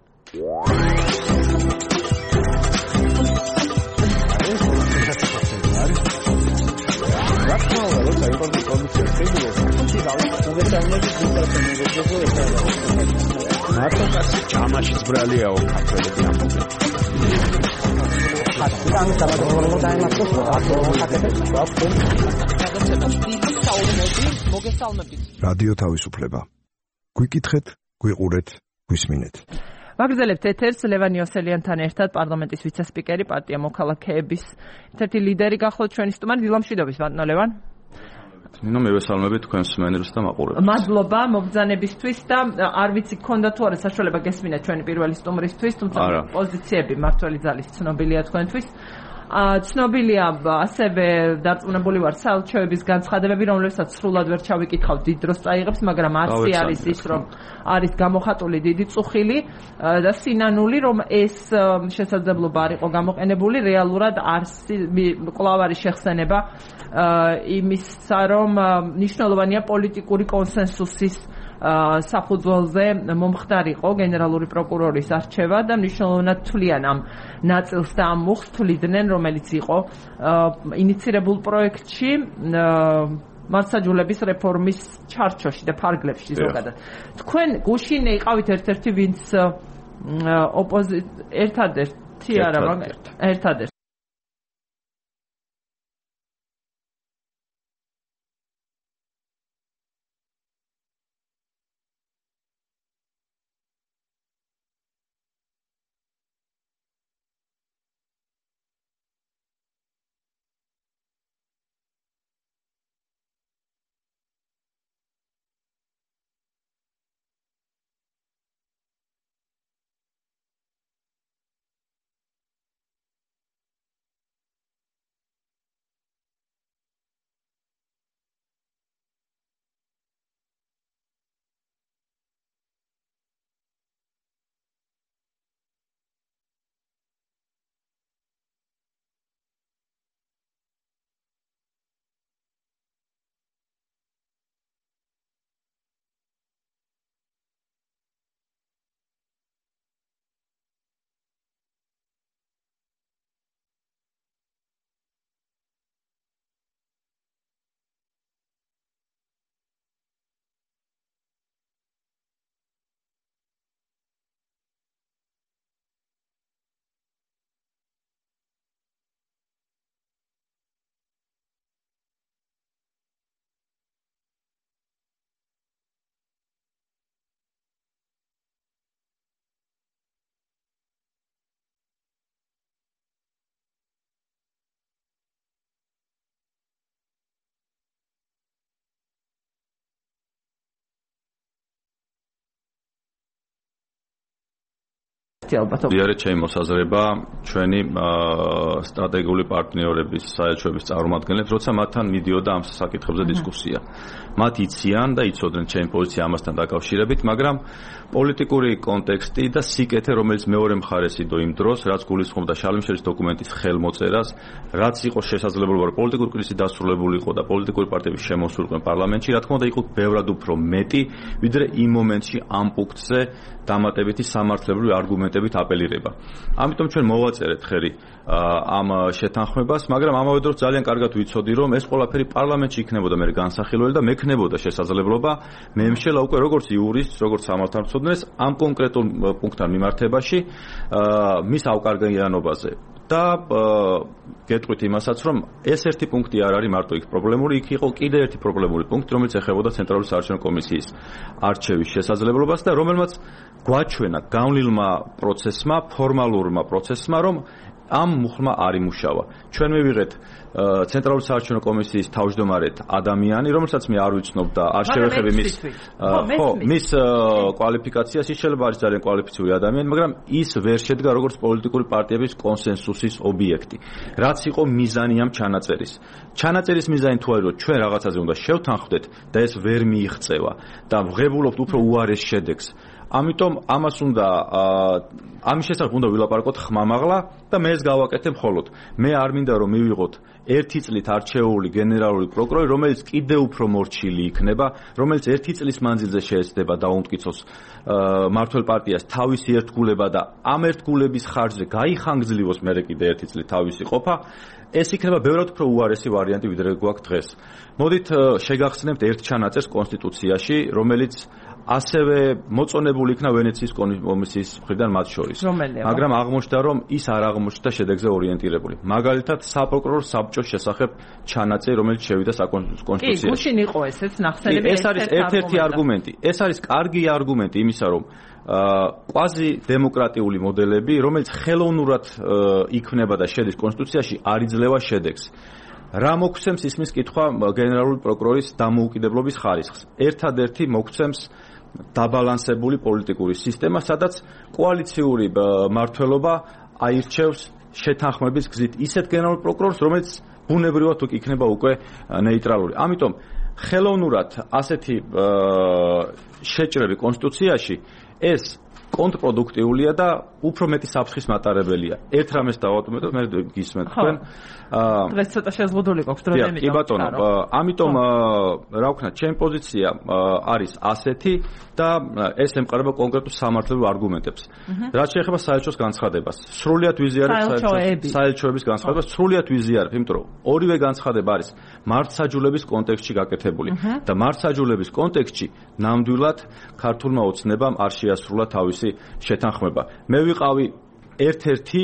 მარტო კაცი ჩამაშიც ბრალიაო ქართველები ამბობენ. რადიო თავისუფლება. გვიკითხეთ, გვიყურეთ, გვისმინეთ. ვაგრძელებთ ეთერს ლევან იოსელიანთან ერთად პარლამენტის ვიცე-სპიკერი, პარტია მოქალაქეების ერთ-ერთი ლიდერი გახლავთ ჩვენი სტუმარი. დილამშვიდობის ბატონო ლევან. ნინო მევესალმები თქვენს მენერს და მაყურებელს. მადლობა მობრძანებისთვის და არ ვიცი გქონდა თუ არა საშუალება გესმინა ჩვენი პირველი სტუმრისთვის, თუმცა პოზიციები მართველი ძალის ცნობილია თქვენთვის. ცნობილია ასევე დარწმუნებული ვარ საელჩოების განცხადებები, რომლებსაც სრულად ვერ ჩავიკითხავ, დიდ დროს წაიღებს, მაგრამ აცი არის ის, რომ არის გამოხატული დიდი წუხილი და სინანული, რომ ეს შესაძლებლობა არ იყო გამოყენებული, რეალურად კვლავ არის შეხსენება იმისა, რომ მნიშვნელოვანია პოლიტიკური კონსენსუსის საფუძველზე მომხდარიყო გენერალური პროკურორის არჩევა და მნიშვნელოვნად თვლიან ამ ნაწილს და ამ მუხს თვლიდნენ, რომელიც იყო ინიცირებულ პროექტში მართლმსაჯულების რეფორმის ჩარჩოში და ფარგლებში ზოგადად. თქვენ გუშინ იყავით ერთ-ერთი, ვინც ოპოზიცია ერთადერთი არა, მაგრამ ერთადერთი დიარე ჩემი მოსაზრება ჩვენი სტრატეგიული პარტნიორების საელჩოების წარმომადგენლებს, როცა მათთან მიდიოდა ამ საკითხებზე დისკუსია. მათ იციან და იცოდნენ ჩემი პოზიცია ამასთან დაკავშირებით, მაგრამ პოლიტიკური კონტექსტი და სიკეთე, რომელიც მეორე მხარეს იდო იმ დროს, რაც გულისხმობდა შალიმშელის დოკუმენტის ხელმოწერას, რაც იყო შესაძლებლობა, რომ პოლიტიკური კრიზისი დასრულებულიყო და პოლიტიკური პარტიების შემოსულიყო პარლამენტში, რა თქმა უნდა, იყო ბევრად უფრო მეტი, ვიდრე იმ მომენტში ამ პუნქტზე დამატებითი სამართლებრივი არგუმენტებით აპელირება. ამიტომ ჩვენ მოვაწერეთ ხელი ამ შეთანხმებას, მაგრამ ამავე დროს ძალიან კარგად ვიცოდი, რომ ეს ყველაფერი პარლამენტში იქნებოდა მე განსახილველი და მექნებოდა შესაძლებლობა მემშელა უკვე როგორც იურისტს, როგორც სამართალმცოდნეს ამ კონკრეტულ პუნქტთან მიმართებაში მის ავკარგიანობაზე და გეტყვით იმასაც, რომ ეს ერთი პუნქტი არ არის მარტო იქ პრობლემური, იქ იყო კიდე ერთი პრობლემური პუნქტი, რომელიც ეხებოდა ცენტრალური საარჩევნო კომისიის არჩევის შესაძლებლობას და რომელმაც გვაჩვენა გავლილმა პროცესმა, ფორმალურმა პროცესმა, რომ ამ მუხლმა არ იმუშავა. ჩვენ მივიღეთ ცენტრალური საარჩევნო კომისიის თავმჯდომარედ ადამიანი, რომელსაც მე არ ვიცნობ და არ შევეხები მის ხო, მის კვალიფიკაციას, ის შეიძლება არის ძალიან კვალიფიციური ადამიანი, მაგრამ ის ვერ შედგა როგორც პოლიტიკური პარტიების კონსენსუსის ობიექტი. რაც იყო მიზანი ამ ჩანაწერის. ჩანაწერის მიზანი თუ არის, რომ ჩვენ რაღაცაზე უნდა შევთანხმდეთ და ეს ვერ მიიღწევა და ვღებულობთ უფრო უარეს შედეგს. ამიტომ ამას უნდა ამის შესახებ უნდა ვილაპარაკოთ ხმამაღლა და მე ეს გავაკეთე მხოლოდ. მე არ მინდა რომ მივიღოთ ერთი წლით არჩეული გენერალური პროკურორი, რომელიც კიდევ უფრო მორჩილი იქნება, რომელიც ერთი წლის მანძილზე შეეცდება დაუმტკიცოს მართველ პარტიას თავისი ერთგულება და ამ ერთგულების ხარჯზე გაიხანგძლივოს მერე კიდე ერთი წლით თავისი ყოფა. ეს იქნება ბევრად უფრო უარესი ვარიანტი, ვიდრე გვაქვს დღეს. მოდით შეგახსნებთ ერთ ჩანაწერს კონსტიტუციაში, რომელიც ასევე მოწონებული იქნა ვენეციის კომისიის მხრიდან მათ შორის. მაგრამ აღმოჩნდა, რომ ის არ აღმოჩნდა შედეგზე ორიენტირებული. მაგალითად, საპროკურორო საბჭოს შესახებ ჩანაწერი, რომელიც შევიდა საკონსტიტუციაში. კი, გუშინ იყო ესეც ნახსენები. ეს არის ერთ-ერთი არგუმენტი. ეს არის კარგი არგუმენტი იმისა, რომ კვაზი დემოკრატიული მოდელები, რომელიც ხელოვნურად იქმნება და შედის კონსტიტუციაში, არ იძლევა შედეგს. რა მოგვცემს ისმის კითხვა გენერალური პროკურორის დამოუკიდებლობის ხარისხს. ერთადერთი მოგვცემს დაბალანსებული პოლიტიკური სისტემა, სადაც კოალიციური მმართველობა აირჩევს შეთანხმების გზით ისეთ გენერალურ პროკურორს, რომელიც ბუნებრივად იქნება უკვე ნეიტრალური. ამიტომ ხელოვნურად ასეთი შეჭრები კონსტიტუციაში ეს კონტრპროდუქტიულია და უფრო მეტი საფრთხის მატარებელია. ერთ რამეს დავატოვებ, მე გისმენთ თქვენ. აა დღეს ცოტა შეზღუდული გვაქვს დრო და კი ბატონო, ამიტომ რა ვქნა, ჩემი პოზიცია არის ასეთი და ეს ემყარება კონკრეტულ სამართლებრივ არგუმენტებს. რაც შეეხება საელჩოს განცხადებას, სრულიად ვიზიარებ საელჩოების განცხადებას, სრულიად ვიზიარებ, იმიტომ რომ ორივე განცხადება არის მართლმსაჯულების კონტექსტში გაკეთებული და მართლმსაჯულების კონტექსტში ნამდვილად ქართულმა ოცნებამ არ შეასრულა თავისი შეთანხმება. მე ვიყავი ერთ-ერთი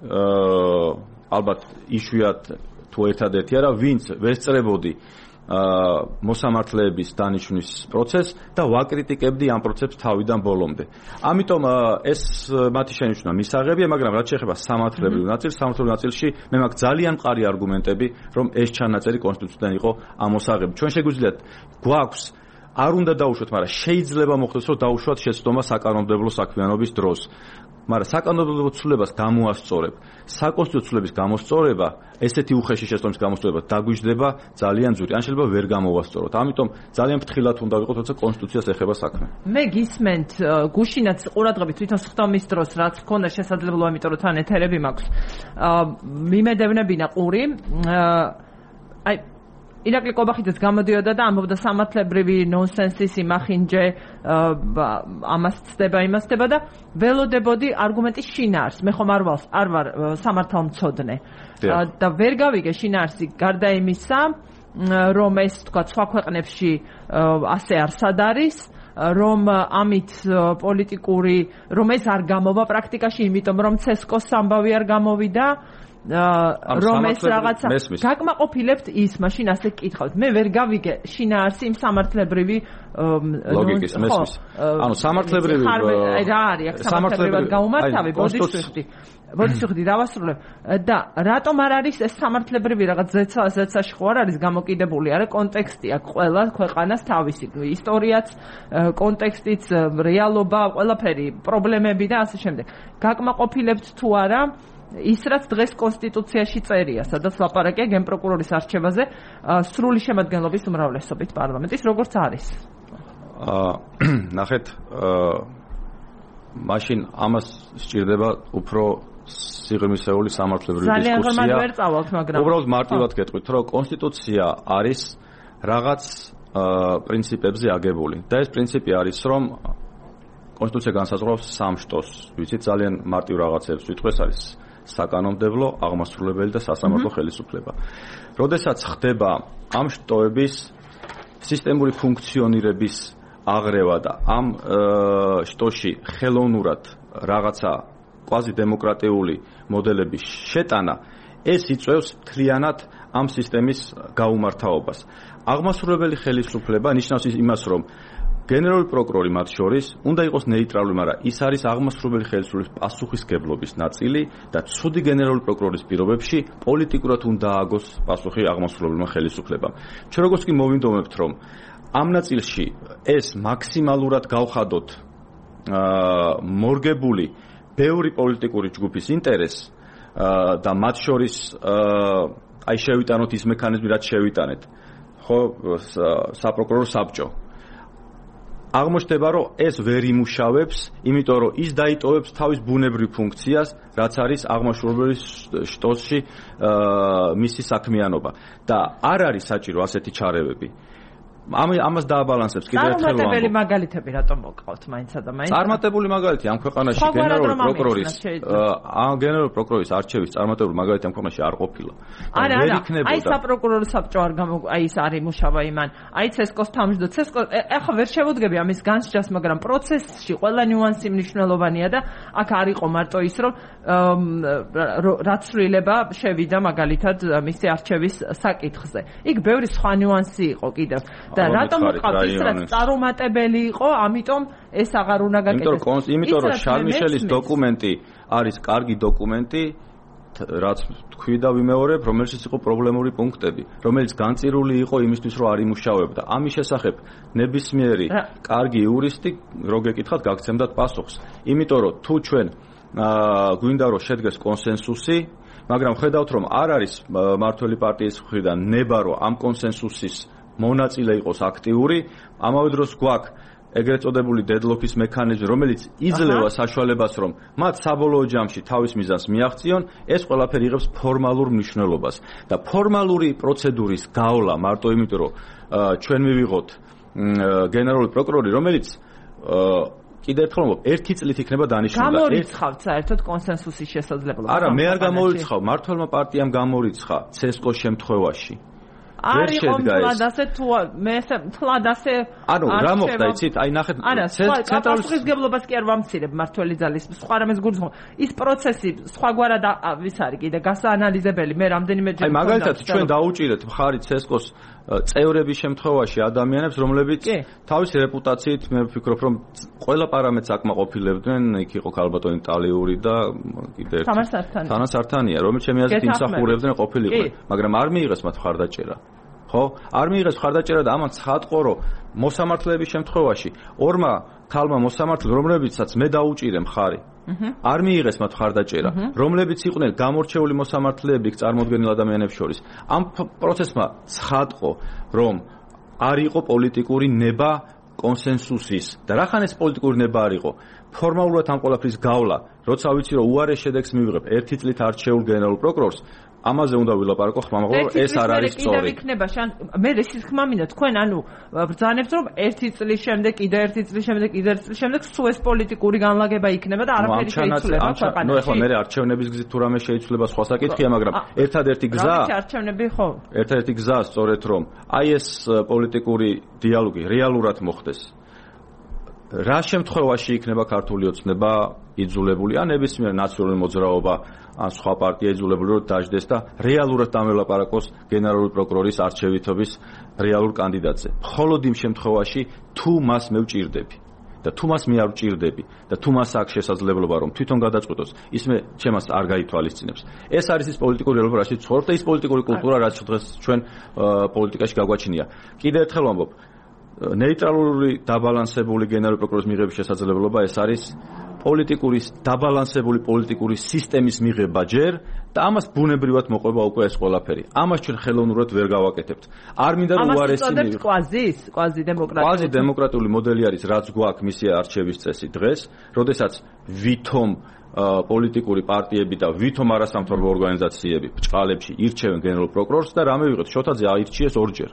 აა ალბათ იშვიათ თუ ერთადერთი არა, ვინც ვესწრებოდი მოსამართლეების დანიშვნის პროცესს და ვაკრიტიკებდი ამ პროცესს თავიდან ბოლომდე. ამიტომ ეს მათი შენიშვნა მისაღებია, მაგრამ რაც შეეხება სამართლებრივ ნაწილს, სამართლებრივ ნაწილში მე მაქვს ძალიან მყარი არგუმენტები, რომ ეს ჩანაწერი კონსტიტუციიდან იყო ამოსაღები. ჩვენ შეგვიძლია გვაქვს არ უნდა დაუშვათ, მაგრამ შეიძლება მოხდეს, რომ დაუშვათ შეცდომა საკანონმდებლო საქმიანობის დროს. მაგრამ საკანონმდებლო ცვლილებას გამოასწორებ. საკონსტიტუციო ცვლილების გამოსწორება, ესეთი უხეში შეცდომის გამოსწორება დაგვიждდება ძალიან ძვირი. ან შეიძლება ვერ გამოვასწოროთ. ამიტომ ძალიან ფრთხილად უნდა ვიყოთ, როცა კონსტიტუციას ეხება საქმე. მე გისმენთ გუშინაც ყურადღებით თვითონ სხდომის დროს რაც გქონდა შესაძლებლობა, იმიტომ რომ თან ეთერები მაქვს. მიმედევნებინა ყური. აი ირაკლი კობახიძეც გამოდიოდა და ამბობდა სამართლებრივი ნონსენსის იმახინჯე ამას ცდება იმას ცდება და ველოდებოდი არგუმენტის შინაარს. მე ხომ არ ვალს არ ვარ სამართალმცოდნე და ვერ გავიგე შინაარსი გარდა იმისა, რომ ეს თქვა სხვა ქვეყნებში ასე არსად არის, რომ ამით პოლიტიკური რომ ეს არ გამოვა პრაქტიკაში, იმიტომ რომ ცესკოს ამბავი არ გამოვიდა. რომ ეს რაღაცა გაკმაყოფილებთ ის მაშინ ასე გკითხავთ. მე ვერ გავიგე შინაარსი იმ სამართლებრივი ლოგიკის მესმის. ანუ სამართლებრივი რა არის აქ სამართლებრივად გაუმართავი ბოდიშვილდი. ბოდიშვილდი დავასრულებ და რატომ არ არის ეს სამართლებრივი რაღაც ზეცა ზეცაში ხო არ არის გამოკიდებული? არა კონტექსტი აქვს ყველა ქვეყანას თავისი ისტორიაც, კონტექსტიც, რეალობა, ყველაფერი, პრობლემები და ასე შემდეგ. გაკმაყოფილებთ თუ არა ის რაც დღეს კონსტიტუციაში წერია, სადაც ლაპარაკია გენპროკურორის არჩევაზე სრული შემადგენლობის უმრავლესობით პარლამენტის, როგორც არის. აა ნახეთ, აა მაშინ ამას სჭირდება უფრო სიღრმისეული სამართლებრივი დისკუსია. ძალიან ღრმად ვერ წავალთ, მაგრამ უბრალოდ მარტივად გეტყვით, რომ კონსტიტუცია არის რაღაც პრინციპებზე აგებული და ეს პრინციპი არის, რომ კონსტიტუცია განსაზღვრავს სამ შტოს, ვიცით ძალიან მარტივ რაღაცებს ვიტყვეს, არის საკანონმდებლო, აღმასრულებელი და სასამართლო ხელისუფლება. როდესაც ხდება ამ შტოების სისტემური ფუნქციონირების აღრევა და ამ შტოში ხელოვნურად რაღაცა კვაზი დემოკრატიული მოდელების შეტანა, ეს იწვევს მთლიანად ამ სისტემის გაუმართავობას. აღმასრულებელი ხელისუფლება ნიშნავს იმას, რომ გენერალური პროკურორი მათ შორის უნდა იყოს ნეიტრალური, მაგრამ ის არის აღმასრულებელი ხელისუფლების პასუხისგებლობის ნაწილი და ცუდი გენერალური პროკურორის პირობებში პოლიტიკურად უნდა ააგოს პასუხი აღმასრულებელმა ხელისუფლებამ. ჩვენ როგორც კი მოვინდომებთ, რომ ამ ნაწილში ეს მაქსიმალურად გავხადოთ აა მორგებული ბევრი პოლიტიკური ჯგუფის ინტერესს და მათ შორის აი შევიტანოთ ის მექანიზმი, რაც შევიტანეთ, ხო, საპროკურორო საბჭო. აღმოჩნდება, რომ ეს ვერ იმუშავებს, იმიტომ რომ ის დაიტოვებს თავის ბუნებრივ ფუნქციას, რაც არის აღმასრულებელი შტოში მისი საქმიანობა და არ არის საჭირო ასეთი ჩარევები. ამ ამას დააბალანსებს კიდევ ერთხელ ვამბობ. წარმატებული მაგალითები რატომ მოგყავთ მაინცა და მაინც? წარმატებული მაგალითი ამ ქვეყანაში გენერალური პროკურორის ამ გენერალური პროკურორის არჩევის წარმატებული მაგალითი ამ ქვეყანაში არ ყოფილა. არა, არა. აი საპროკურორო საბჭო არ გამო აი ის არ იმუშავა იმან. აი ცესკოს თავმჯდომარე ცესკო ეხლა ვერ შევუდგები ამის განსჯას, მაგრამ პროცესში ყველა ნიუანსი მნიშვნელოვანია და აქ არ იყო მარტო ის რომ რაც ცვლილება შევიდა მაგალითად მისი არჩევის საკითხზე. იქ ბევრი სხვა ნიუანსი იყო კიდევ. და რატომ მოყავთ ის რაც წარუმატებელი იყო, ამიტომ ეს აღარ უნდა გაკეთდეს. იმიტომ რომ შარლ მიშელის დოკუმენტი არის კარგი დოკუმენტი, რაც თქვი და ვიმეორებ, რომელშიც იყო პრობლემური პუნქტები, რომელიც განწირული იყო იმისთვის, რომ არ იმუშავებდა. ამის შესახებ ნებისმიერი კარგი იურისტი რო გეკითხათ, გაგცემდათ პასუხს. იმიტომ რომ თუ ჩვენ გვინდა რომ შედგეს კონსენსუსი, მაგრამ ხედავთ რომ არ არის მართველი პარტიის მხრიდან ნება რომ ამ კონსენსუსის მონაწილე იყოს აქტიური, ამავე დროს გვაქვს ეგრეთ წოდებული დედლოკის მექანიზმი, რომელიც იძლევა საშუალებას, რომ მათ საბოლოო ჯამში თავის მიზანს მიაღწიონ, ეს ყველაფერი იღებს ფორმალურ მნიშვნელობას. და ფორმალური პროცედურის გავლა მარტო იმიტომ, რომ ჩვენ მივიღოთ გენერალური პროკურორი, რომელიც კიდევ ერთხელ ვამბობ, ერთი წლით იქნება დანიშნული. გამორიცხავთ საერთოდ კონსენსუსის შესაძლებლობა. არა, მე არ გამორიცხავ, მართლმა პარტიამ გამორიცხა ცესკოს შემთხვევაში. არ იყო თლად ასე თუ მე თლად ასე ანუ რა მოხდა იცით აი ნახეთ ცენტრალურ პასუხისმგებლობას კი არ ვამცირებ მართველი ძალის სხვა რამეს გულისხმობ ის პროცესი სხვაგვარად ვის არის კიდე გასაანალიზებელი მე რამდენიმე ჯერ აი მაგალითად ჩვენ დაუჭირეთ მხარი ცესკოს წევრების შემთხვევაში ადამიანებს რომლებიც თავისი რეპუტაციით მე ვფიქრობ რომ ყველა პარამეტრს აკმაყოფილებდნენ იქ იყო ქალბატონი ტალიური და კიდე ერთი თანასართანია რომელიც ჩემი აზრით იმსახურებდნენ ყოფილიყო მაგრამ არ მიიღეს მათ მხარდაჭერა ხო არ მიიღეს მხარდაჭერა და ამან ცხადყო რომ მოსამართლეების შემთხვევაში ორმა ქალმა მოსამართლე რომლებიცაც მე დაუჭირე მხარი არ მიიღეს მათ მხარდაჭერა რომლებიც იყვნენ გამორჩეული მოსამართლეები წარმოდგენილ ადამიანებს შორის ამ პროცესმა ცხადყო რომ არ იყო პოლიტიკური ნება კონსენსუსის და რახან ეს პოლიტიკური ნება არ იყო ფორმალურად ამ ყველაფრის გავლა როცა ვიცი რომ უარეს შედეგს მივიღებ ერთი წლით არჩეულ გენერალურ პროკურორს ამაზე უნდა ვილაპარაკო ხმა მაგრამ ეს არ არის სწორი. კიდევ იქნება შან მე ისიც ხმა მინდა თქვენ ანუ ბრძანებთ რომ ერთი წლის შემდეგ კიდე ერთი წლის შემდეგ კიდე ერთი წლის შემდეგ სულ ეს პოლიტიკური განლაგება იქნება და არაფერი შეიცვლება ქვეყანაში. ნუ ეხლა მე არჩევნების გზით თუ რამე შეიცვლება სხვა საკითხია მაგრამ ერთადერთი გზა არჩევნები ხო? ერთადერთი გზა სწორედ რომ აი ეს პოლიტიკური დიალოგი რეალურად მოხდეს. რა შემთხვევაში იქნება ქართული ოცნება იძულებული ან ნებისმიერ ნაციონალური მოძრაობა ან სხვა პარტია იძულებული რომ დაждდეს და რეალურად დამელაპარაკოს გენერალური პროკურორის არჩევითობის რეალურ კანდიდატზე. მხოლოდ იმ შემთხვევაში თუ მას მე ვჭირდები და თუ მას მე არ ვჭირდები და თუ მას აქვს შესაძლებლობა რომ თვითონ გადაწყვეტოს, ის მე ჩემას არ გაითვალისწინებს. ეს არის ის პოლიტიკური რეალობა, რასაც ცხოვრობ და ის პოლიტიკური კულტურა, რაც დღეს ჩვენ პოლიტიკაში გაგვაჩნია. კიდევ ერთხელ ვამბობ, ნეიტრალური დაბალანსებული გენერალური პროკურორის მიღების შესაძლებლობა ეს არის პოლიტიკური დაბალანსებული პოლიტიკური სისტემის მიღება ჯერ და ამას ბუნებრივად მოყვება უკვე ეს ყველაფერი. ამას ჩვენ ხელოვნურად ვერ გავაკეთებთ. არ მინდა რომ უარესი მივიღო. ამას კვაზის, კვაზი დემოკრატიული. კვაზი დემოკრატიული მოდელი არის, რაც გვაქვს მისი არჩევის წესი დღეს, როდესაც ვითომ პოლიტიკური პარტიები და ვითომ არასამთავრობო ორგანიზაციები ბჭყალებში ირჩევენ გენერალურ პროკურორს და რა მივიღეთ? შოთაძე აირჩიეს ორჯერ.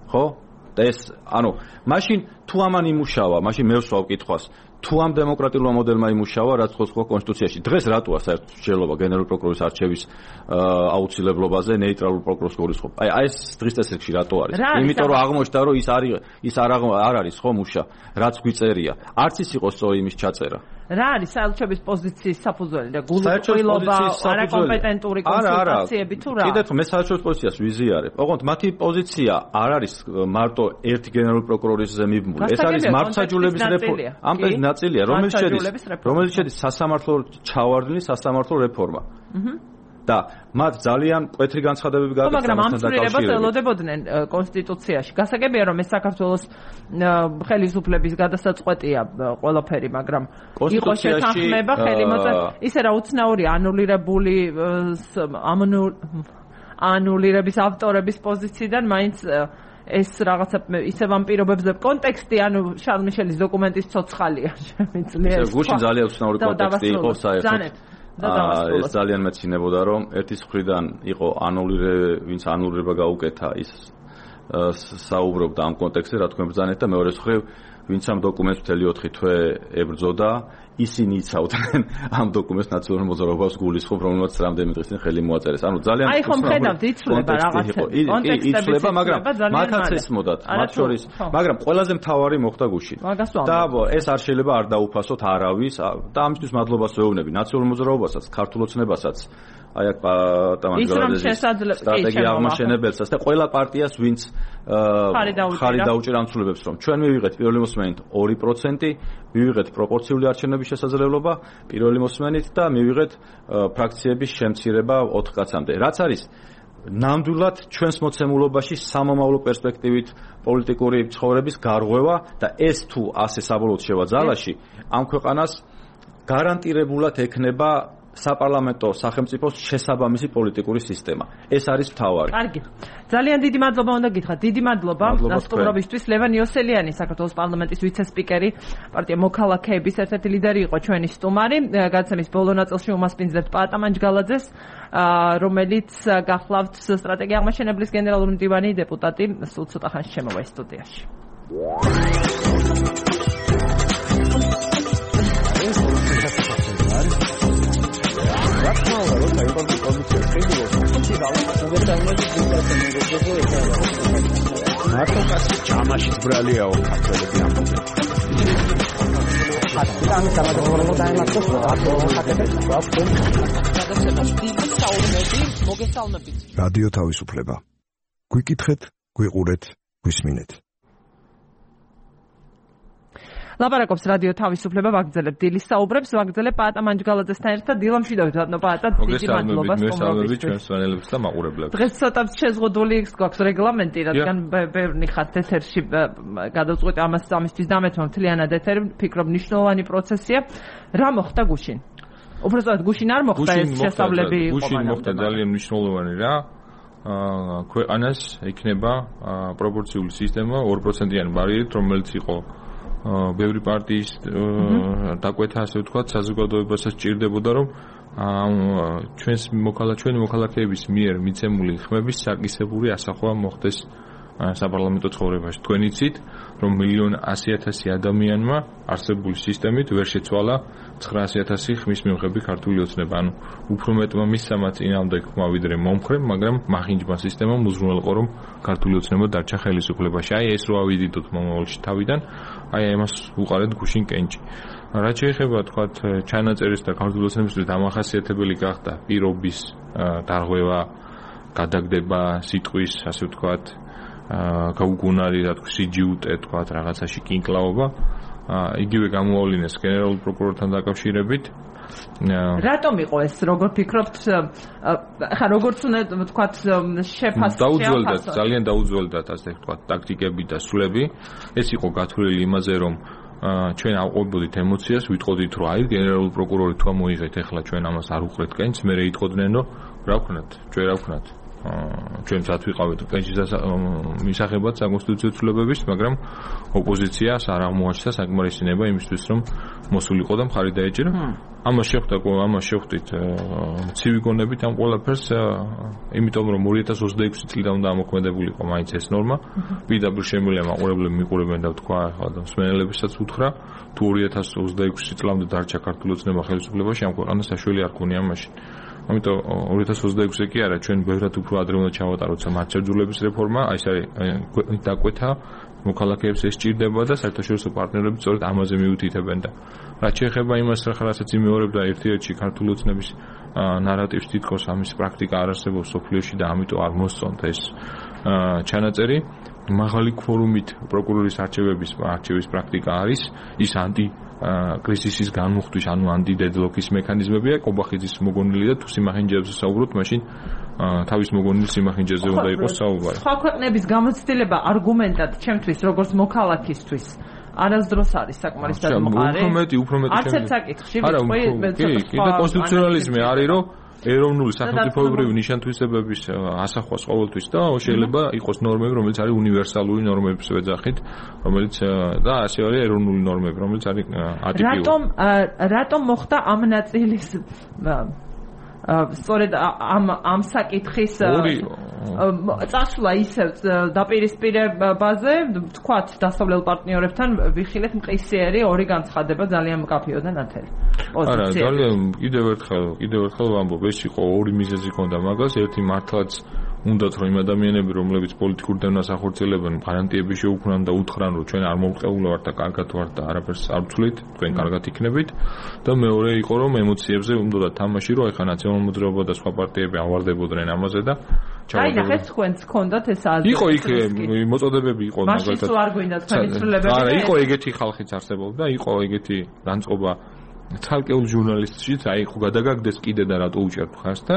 ხო? და ეს ანუ მაშინ თუ ამან იმუშავა, მაშინ მე ვსვავ კითხვას თუ ამ დემოკრატიულმა მოდელმა იმუშავა, რაც ხო სხვა კონსტიტუციაში დღეს რატოა საერთოდ მსჯელობა გენერალური პროკურორის არჩევის აუცილებლობაზე ნეიტრალურ პროკურორს გულისხმობ. აი აი ეს დღის წესრიგში რატო არის? იმიტომ რომ აღმოჩნდა რომ ის არის ის არ არ არის ხო მუშა, რაც გვიწერია. არც ის იყო სწორი იმის ჩაწერა. რა არის საელჩობის პოზიციის საფუძველი და გულისხმობა არაკომპეტენტური კონსულტაციები თუ რა? კიდევ მე საელჩობის პოზიციას ვიზიარებ. ოღონდ მათი პოზიცია არ არის მარტო ერთ გენერალურ პროკურორისზე მიბმული. ეს არის მართლმსაჯულების რეფორმა. ამ ნაწილია, რომელიც შედის, რომელიც შედის სასამართლო ჩავარდნის სასამართლო რეფორმა. და მათ ძალიან მკვეთრი განცხადებები გააკეთა მაგრამ ამ ცვლილებას ელოდებოდნენ კონსტიტუციაში. გასაგებია რომ ეს საქართველოს ხელისუფლების გადასაწყვეტია ყველაფერი, მაგრამ იყო შეთანხმება ხელი მოწესრიგება. ისე რა უცნაური ანულირებული ანულირების ავტორების პოზიციიდან მაინც ეს რაღაცა ისე ვამპირობებზე კონტექსტი ანუ შარლ მიშელის დოკუმენტის ცოცხალია შემიძლია ეს გუშინ ძალიან უცნაური კონტექსტი იყო საერთოდ ეს ძალიან მეცინებოდა რომ ერთის მხრიდან იყო ანულირე ვინც ანულირება გაუკეთა ის საუბრობდა ამ კონტექსტზე, რა თქმა უნდა, ბრძანეთ და მეორე მხრივ, ვინც ამ დოკუმენტს მთელი ოთხი თვე ებრძოდა, ისინი იცავდნენ ამ დოკუმენტს ნაციონალურ მოძრაობას გულისხმობ, რომელმაც რამდენიმე დღის წინ ხელი მოაწერეს. ანუ ძალიან აი ხომ ხედავთ, იცვლება რაღაცა. კონტექსტები იცვლება, მაგრამ მათაც ესმოდათ, მათ შორის, მაგრამ ყველაზე მთავარი მოხდა გუშინ. და ეს არ შეიძლება არ დაუფასოთ არავის და ამისთვის მადლობას ვეუბნები ნაციონალურ მოძრაობასაც, ქართულ ოცნებასაც. აი აქ პატამანჯგალაძის სტრატეგია აღმაშენებელსაც და ყველა პარტიას ვინც ხარი დაუჭირა ამ ცვლილებებს რომ ჩვენ მივიღეთ პირველი მოსმენით ორი პროცენტი, მივიღეთ პროპორციული არჩევნების შესაძლებლობა პირველი მოსმენით და მივიღეთ ფრაქციების შემცირება ოთხ კაცამდე. რაც არის ნამდვილად ჩვენს მოცემულობაში სამომავლო პერსპექტივით პოლიტიკური ცხოვრების გარღვევა და ეს თუ ასე საბოლოოდ შევა ძალაში ამ ქვეყანას გარანტირებულად ექნება საპარლამენტო სახელმწიფოს შესაბამისი პოლიტიკური სისტემა. ეს არის მთავარი. კარგი. ძალიან დიდი მადლობა უნდა გითხრათ. დიდი მადლობა სტუმრობისთვის. ლევან იოსელიანი, საქართველოს პარლამენტის ვიცე-სპიკერი, პარტია მოქალაქეების ერთ-ერთი ლიდერი იყო ჩვენი სტუმარი. გადაცემის ბოლო ნაწილში უმასპინძლებთ პატამანჯგალაძეს, რომელიც გახლავთ სტრატეგია აღმაშენებლის გენერალური მდივანი, დეპუტატი, სულ ცოტა ხანში შემოვა სტუდიაში. Rakmalı da yapalım komisyon kıyılıyor. Şimdi Allah kuvvetlerine gidiyor. Narko kasıt çamaşır buralıyor o kapları bir anda. Hatta আমি সারা জীবন দায় মাত্র რადიო თავისუფლება. გვიკითხეთ, გვიყურეთ, გვისმინეთ. ლაპარაკობს რადიო თავისუფლება, ვაგრძელებ დილის საუბრებს, ვაგრძელებ პატამანჯგალაძესთან ერთად დილამშვიდობით, ბატონო პატა, დიდი მადლობა სტუმრობისთვის. ჩვენს სვანელებს და მაყურებლებს. დღეს ცოტა შეზღუდული გვაქვს რეგლამენტი, რადგან ბევრი ხართ ეთერში გადავწყვეტ ამას ამისთვის დამეთმო მთლიანად ეთერი, ვფიქრობ მნიშვნელოვანი პროცესია. რა მოხდა გუშინ? უბრალოდ გუშინ არ მოხდა ეს შესწავლები იყო. გუშინ მოხდა ძალიან მნიშვნელოვანი რა. ქვეყანას ექნება პროპორციული სისტემა ორ პროცენტიანი ბარიერით, რომელიც იყო ბევრი პარტიის დაკვეთა, ასე ვთქვათ, საზოგადოებასაც ჭირდებოდა, რომ ჩვენს მოქალაქე ჩვენი მოქალაქეების მიერ მიცემული ხმების საკისრებული ასახვა მოხდეს საპარლამენტო ცხოვრებაში. თქვენ იცით, რომ მილიონ ასი ათასი ადამიანმა არსებული სისტემით ვერ შეცვალა ცხრაასი ათასი ხმის მიღები ქართული ოცნება. ანუ უფრო მეტმა მისცამა წინამდე ხმა ვიდრე მომხრე, მაგრამ მახინჯმა სისტემამ უზრუნველყო, რომ ქართული ოცნება დარჩა ხელისუფლებაში. აი ეს რო ავიდიდოთ მომავალში თავიდან, აი ამას უყარეთ გუშინ კენჭი. რაც შეეხება თქვათ ჩანაწერის და ქართული ოცნებისთვის დამახასიათებელი გახდა პირობის დარღვევა, გადაგდება სიტყვის, ასე ვთქვათ, გაუგუნარი, რა თქმა უნდა, სიჯიუტე, თქვათ, რაღაცაში კინკლაობა. იგივე გამოავლინეს გენერალურ პროკურორთან დაკავშირებით. რატომ იყო ეს, როგორ ფიქრობთ, ხა როგორც უნდა ვთქვათ, შეფასება? დაუძველდათ, ძალიან დაუძველდათ, ასე ვთქვათ, ტაქტიკები და სულები. ეს იყო გათვლილი იმაზე, რომ ჩვენ ავყვებოდით ემოციას, ვიტყოდით, რომ აი გენერალური პროკურორი თუ მოიღეთ, ეხლა ჩვენ ამას არ უყრეთ კენჭს, მე იტყოდნენ, რომ რა ვქნათ, ჩვენ რა ვქნათ. ჩვენც ათვიყავით კენჭის მისაღებად საკონსტიტუციო ცვლილებების, მაგრამ ოპოზიციას არ აღმოაჩნდა საკმარისინება იმისთვის, რომ მოსულიყო და მხარი დაეჭირა. ამას შეხვდა, ამას შეხვდით ცივი გონებით ამ ყველაფერს, იმიტომ რომ ორი ათას ოცდაექვსი წლიდან უნდა ამოქმედებულიყო მაინც ეს ნორმა. პირდაპირ შემიძლია მაყურებლები მიყურებენ და თქვა, ახლა და მსმენელებისაც უთხრა, თუ ორი ათას ოცდაექვსი წლამდე დარჩა ქართული ოცნება ხელისუფლებაში, ამ ქვეყანას საშველი არ ქონია მაშინ. ამიტომ ორი ათას ოცდაექვსი კი არა, ჩვენ ბევრად უფრო ადრე უნდა ჩავატაროთ სამართლებრივების რეფორმა, აი ეს არის დაკვეთა მოქალაქეებს ეს ჭირდება და საერთაშორისო პარტნიორები სწორედ ამაზე მიუთითებენ და რაც შეეხება იმას, რასაც იმეორებდა ერთ-ერთი ქართული ოცნების ნარატივს, თითქოს ამის პრაქტიკა არ არსებობს სოფლიოში და ამიტომ არ მოსწონთ ეს ჩანაწერი. მაღალი ქვორუმით პროკურორის არჩევების არჩევის პრაქტიკა არის, ის ანტი კრიზისის განმუხტვის, ანუ ანტიდედლოკის მექანიზმებია. კობახიძის მოგონილი და თუ სიმახინჯეებზე საუბრობთ, მაშინ თავის მოგონილი სიმახინჯეზე უნდა იყოს საუბარი. სხვა ქვეყნების გამოცდილება არგუმენტად ჩემთვის, როგორც მოქალაქისთვის, არასდროს არის საკმარის დამყარი. უფრო მეტი, უფრო მეტი. არც ერთ საკითხში ვიცი, კი, და კონსტიტუციონალიზმი არის, რომ ეროვნული სახელმწიფოებრივი ნიშან-თვისებების ასახვას ყოველთვის და შეიძლება იყოს ნორმები, რომელიც არის უნივერსალური ნორმების ვეძახით, რომელიც და ასე არის ეროვნული ნორმები, რომელიც არის ატიპიური. რატომ რატომ მოხდა ამ ნაწილის სწორედ ამ ამ საკითხის წასვლა ისევ დაპირისპირებაზე, თქვათ, დასავლელ პარტნიორებთან ვიხილეთ მყისიერი ორი განცხადება ძალიან მკაფიო და ნათელი. არა, ძალიან კიდევ ერთხელ, კიდევ ერთხელ ვამბობ, ეს იყო ორი მიზეზი ჰქონდა მაგას, ერთი მართლაც უნდათ რომ იმ ადამიანები, რომლებიც პოლიტიკურ დევნას ახორციელებენ, გარანტიები შეუქმნან და უთხრან, რომ ჩვენ არ მოვყეულა ვართ და კარგად ვართ და არაფერს არ ვცვლით, თქვენ კარგად იქნებით. და მეორე იყო რომ ემოციებზე უნდა თამაში, რომ ეხა ნაციონალურ მოძრაობა და სხვა პარტიები ავარდებოდნენ ამაზე და აი ნახეთ თქვენს გქონდათ ეს აზრი. იყო იქ მოწოდებები იყო მაგალითად. მაშინ თუ არ გვინდა თქვენი ცვლილებები. არა, იყო ეგეთი ხალხიც არსებობდა, იყო ეგეთი განწყობა ცალკეულ ჟურნალისტშიც, აი ხო გადაგაგდეს კიდე და რატო უჭერთ ხარს და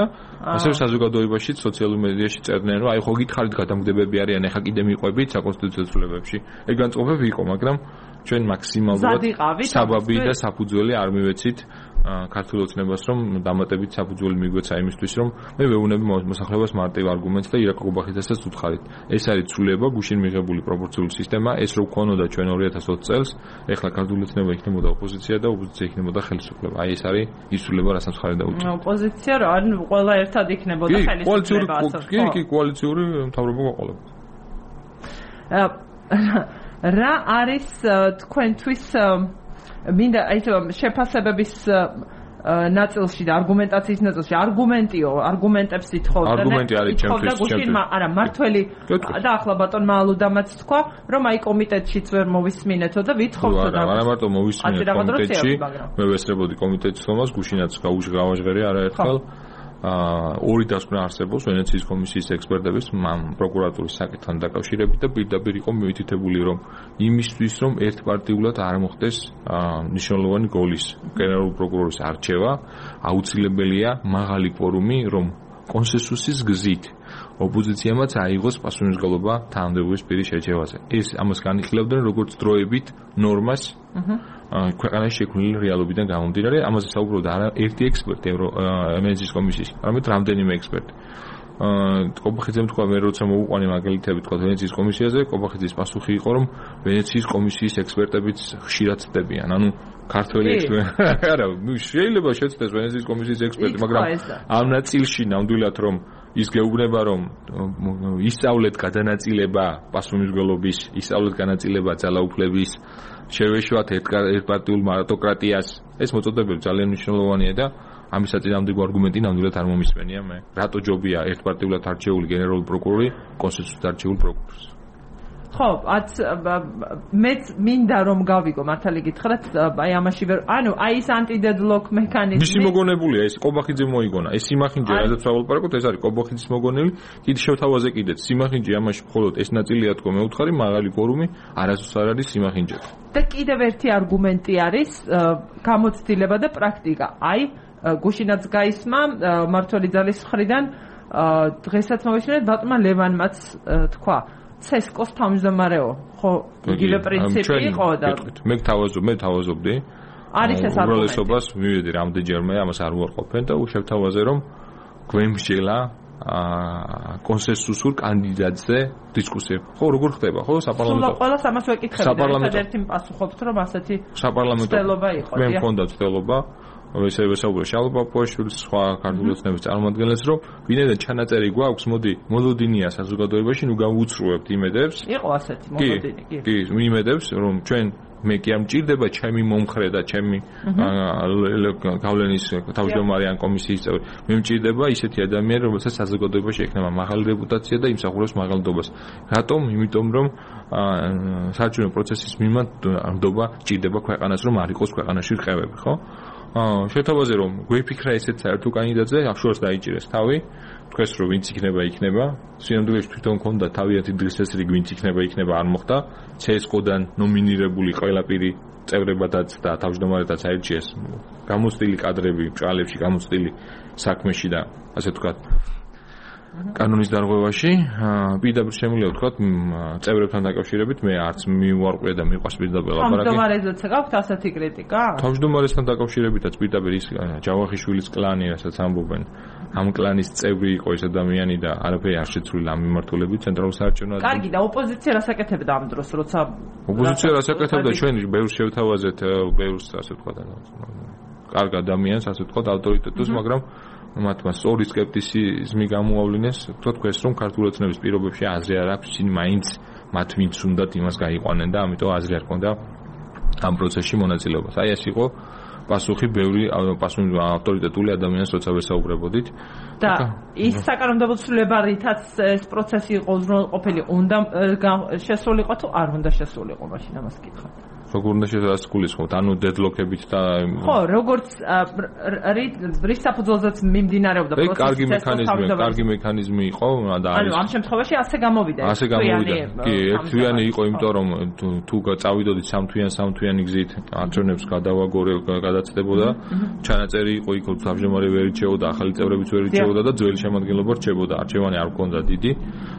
ასევე საზოგადოებაში, სოციალურ მედიაში წერდნენ, რომ აი ხო გითხარით გადამგდებები არიან, ეხა კიდე მიყვებით საკონსტიტუციო ცვლილებებში. ეგ განწყობები იყო, მაგრამ ჩვენ მაქსიმალურად საბაბი და საფუძველი არ მივეცით ქართულ ოცნებას, რომ დამატებით საფუძველი მიგვეცა იმისთვის, რომ მე ვეუბნები მოსახლეობას მარტივ არგუმენტს და ირაკლი ყუბახიძესაც ვუთხარით. ეს არის ცვლილება, გუშინ მიღებული პროპორციული სისტემა, ეს რო გქონოდა ჩვენ ორი ათას ოცი წელს, ეხლა ქართული ოცნება იქნებოდა ოპოზიცია და ოპოზიცია იქნებოდა ხელისუფლება. აი ეს არის ის ცვლილება, რასაც მხარი დაუჭირდა. ოპოზიცია რა, ანუ ყველა ერთად იქნებოდა ხელისუფლება. კი, კი, კოალიციური მთავრობა გვაყოლებდა. რა არის თქვენთვის მინდა აი შეფასებების ნაწილში და არგუმენტაციის ნაწილში არგუმენტიო არგუმენტებს ითხოვდა არგუმენტი არის ჩემთვის ჩემთვის არა მართველი და ახლა ბატონმა ალუდამაც თქვა რომ აი კომიტეტშიც ვერ მოვისმინეთო და ვითხოვდო და არა მარტო მოვისმინეთ კომიტეტში მე ვესწრებოდი კომიტეტის თომას გუშინაც გავუჟღავაჟღერე არაერთხელ ორი დასკვნა არსებობს ვენეციის კომისიის ექსპერტების პროკურატურის საკითხთან დაკავშირებით და პირდაპირ იყო მიუთითებული რომ იმისთვის რომ ერთპარტიულად არ მოხდეს მნიშვნელოვანი გოლის გენერალური პროკურორის არჩევა აუცილებელია მაღალი კვორუმი რომ კონსენსუსის გზით ოპოზიციამაც აიღოს პასუხისმგებლობა თანამდებობის პირის შერჩევაზე ეს ამას განიხილავდნენ როგორც დროებით ნორმას ქვეყანაში შექმნილი რეალობიდან გამომდინარე, ამაზე საუბრობდა არა ერთი ექსპერტი ვენეციის კომისიის, არამედ რამდენიმე ექსპერტი. ყობახიძემ თქვა მე როცა მოუყვანი მაგალითები თქვა ვენეციის კომისიაზე, ყობახიძის პასუხი იყო რომ ვენეციის კომისიის ექსპერტებიც ხშირად ცდებიან. ანუ ქართველი ექსპერტი არა, ნუ შეიძლება შეცდეს ვენეციის კომისიის ექსპერტი, მაგრამ ამ ნაწილში ნამდვილად რომ ის გეუბნება რომ ისწავლეთ გადანაწილება პასუხისმგებლობის, ისწავლეთ განაწილება ძალაუფლების შევეშვათ ერთპარტიულ მარტოკრატიას ეს მოწოდებები ძალიან მნიშვნელოვანია და ამის საწინააღმდეგო არგუმენტი ნამდვილად არ მომისმენია მე რატო ჯობია ერთპარტიულად არჩეული გენერალური პროკურორი კონსტიტუციით არჩეულ პროკურორს ხო ათ მეც მინდა რომ გავიგო მართალი გითხრათ აი ამაში ვერ ანუ აი ეს ანტიდედლოკ მექანიზმი მისი მოგონებულია ეს ყობახიძე მოიგონა ეს სიმახინჯე რადგან სავალპარაკოთ ეს არის ყობახიძის მოგონილი კიდე შევთავაზე კიდეც სიმახინჯე ამაში მხოლოდ ეს ნაწილია თქო მე ვუთხარი მაღალი ფორუმი არასდროს არ არის სიმახინჯე და კიდევ ერთი არგუმენტი არის გამოცდილება და პრაქტიკა აი გუშინაც გაისმა მართველი ძალის მხრიდან დღესაც მოვისმინეთ ბატონმა ლევანმაც თქვა ცესკოს თავმჯდომარეო ხო იგივე პრინციპი იყო და მე თავაზობ მე თავაზობდი არის ეს არგუმენტი უბრალესობას მივედი რამდენჯერმე ამას არ უარყოფენ და უშევთავაზე რომ გვემსჯელა კონსენსუსურ კანდიდატზე დისკუსია ხო როგორ ხდება ხო საპარლამენტო ყველას ამას ვეკითხები და ერთიმ პასუხობთ რომ ასეთი საპარლამენტო ცდელობა იყო მე მქონდა ცდელობა ესე ვესაუბრე შალვა პოაშვილის სხვა ქართული ოცნების წარმომადგენლებს რომ ვინაიდან ჩანაწერი გვაქვს მოდი მოლოდინია საზოგადოებაში ნუ გავუცრუებთ იმედებს იყო ასეთი მოლოდინი კი კი იმედებს რომ ჩვენ მე კი არ მჭირდება ჩემი მომხრე და ჩემი გავლენის თავმჯდომარე ან კომისიის წევრი მე მჭირდება ისეთი ადამიანი რომელსაც საზოგადოებაში ექნება მაღალი რეპუტაცია და იმსახურებს მაღალდობას რატომ იმიტომ რომ საარჩევნო პროცესის მიმართულება ჭირდება ქვეყანას რომ არ იყოს ქვეყანაში რყევები ხო შეთავაზე რომ გვეფიქრა ესეც საერთო კანდიდატზე ახშორს დაიჭირეს თავი თქვენს რომ ვინც იქნება იქნება სინამდვილეში თვითონ ქონდა თავიანთი დღესასრიგი ვინც იქნება იქნება არ მოხდა ცესკოდან ნომინირებული ყველაფერი წევრებადაც და თავმჯდომარედაც აირჩიეს გამოცდილი კადრები ბრალებში გამოცდილი საქმეში და ასე ვთქვათ კანონის დარღვევაში პირდაპირ შემიძლია ვთქვათ წევრებთან დაკავშირებით მე არც მიუარყვია და მიყვარს პირდაპირ ლაპარაკი თავმჯდომარესაც გაქვთ ასეთი კრიტიკა თავმჯდომარესთან დაკავშირებითაც პირდაპირ ის ჯავახიშვილის კლანი რასაც ამბობენ ამ კლანის წევრი იყო ეს ადამიანი და არაფერი არ შეცვლილა ამ მიმართულებით ცენტრალურ საარჩევნო ადგილზე კარგი და ოპოზიცია რას აკეთებდა ამ დროს როცა ოპოზიცია რას აკეთებდა ჩვენ ბევრს შევთავაზეთ ბევრს ასე ვთქვათ კარგ ადამიანს ასე ვთქვათ ავტორიტეტს მაგრამ მათმა სწორი სკეპტიციზმი გამოავლინეს, თქვა თქვენს რომ ქართული ოცნების პირობებში აზრი არ აქვს, ისინი მაინც მათ ვინც უნდათ იმას გაიყვანენ და ამიტომ აზრი არ ქონდა ამ პროცესში მონაწილეობას. აი ეს იყო პასუხი ბევრი პასუხი ავტორიტეტული ადამიანს როცა ვესაუბრებოდით და ის საკანონმდებლო ცვლილება რითაც ეს პროცესი იყო უზრუნველყოფილი უნდა შესულიყო თუ არ უნდა შესულიყო მაშინ ამას კითხავ. როგორ უნდა შესაძლოა გულისხმობთ ანუ დედლოკებით და ხო როგორც რის საფუძველზეც მიმდინარეობდა პროცესი კარგი მექანიზმი კარგი მექანიზმი იყო და არის ანუ ამ შემთხვევაში ასე გამოვიდა ასე გამოვიდა კი ერთთვიანი იყო იმიტომ რომ თუ წავიდოდით სამთვიან სამთვიანი გზით არჩევნებს გადავაგორე გადაცდებოდა ჩანაწერი იყო იქ სამშობლოები ვერ ირჩეოდა ახალი წევრებიც ვერ ირჩეოდა და ძველი შემადგენლობა რჩებოდა არჩევანი არ ჰქონდა დიდი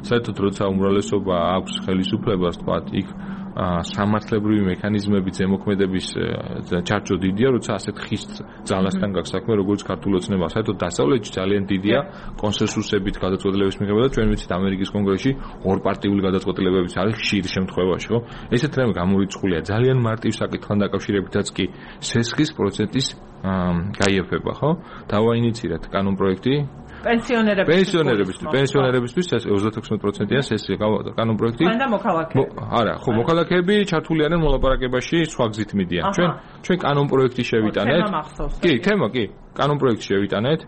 საერთოდ როცა უმრავლესობა აქვს ხელისუფლებას თქვა იქ სამართლებრივი მექანიზმები ზემოქმედების ჩარჩო დიდია, როცა ასეთ ხის ძალასთან გაქვს საქმე, როგორც ქართული ოცნება, საერთოდ დასავლეთში ძალიან დიდია კონსენსუსებით გადაწყვეტილებების მიღება და ჩვენ ვიცით ამერიკის კონგრესში ორპარტიული გადაწყვეტილებებიც არის ხშირ შემთხვევაში, ხო? ესეთ რამე გამორიცხულია ძალიან მარტივ საკითხთან დაკავშირებითაც კი სესხის პროცენტის გაიაფება, ხო? დავაინიცირეთ კანონპროექტი პენსიონერებისთვის პენსიონერებისთვის პენსიონერებისთვის ოცდაექვსი პროცენტიან სესია კანონპროექტი და მოქალაქეები არა ხო მოქალაქეები ჩართული არიან მოლაპარაკებაში სხვა გზით მიდიან ჩვენ ჩვენ კანონპროექტი შევიტანეთ კი თემა კი კანონპროექტი შევიტანეთ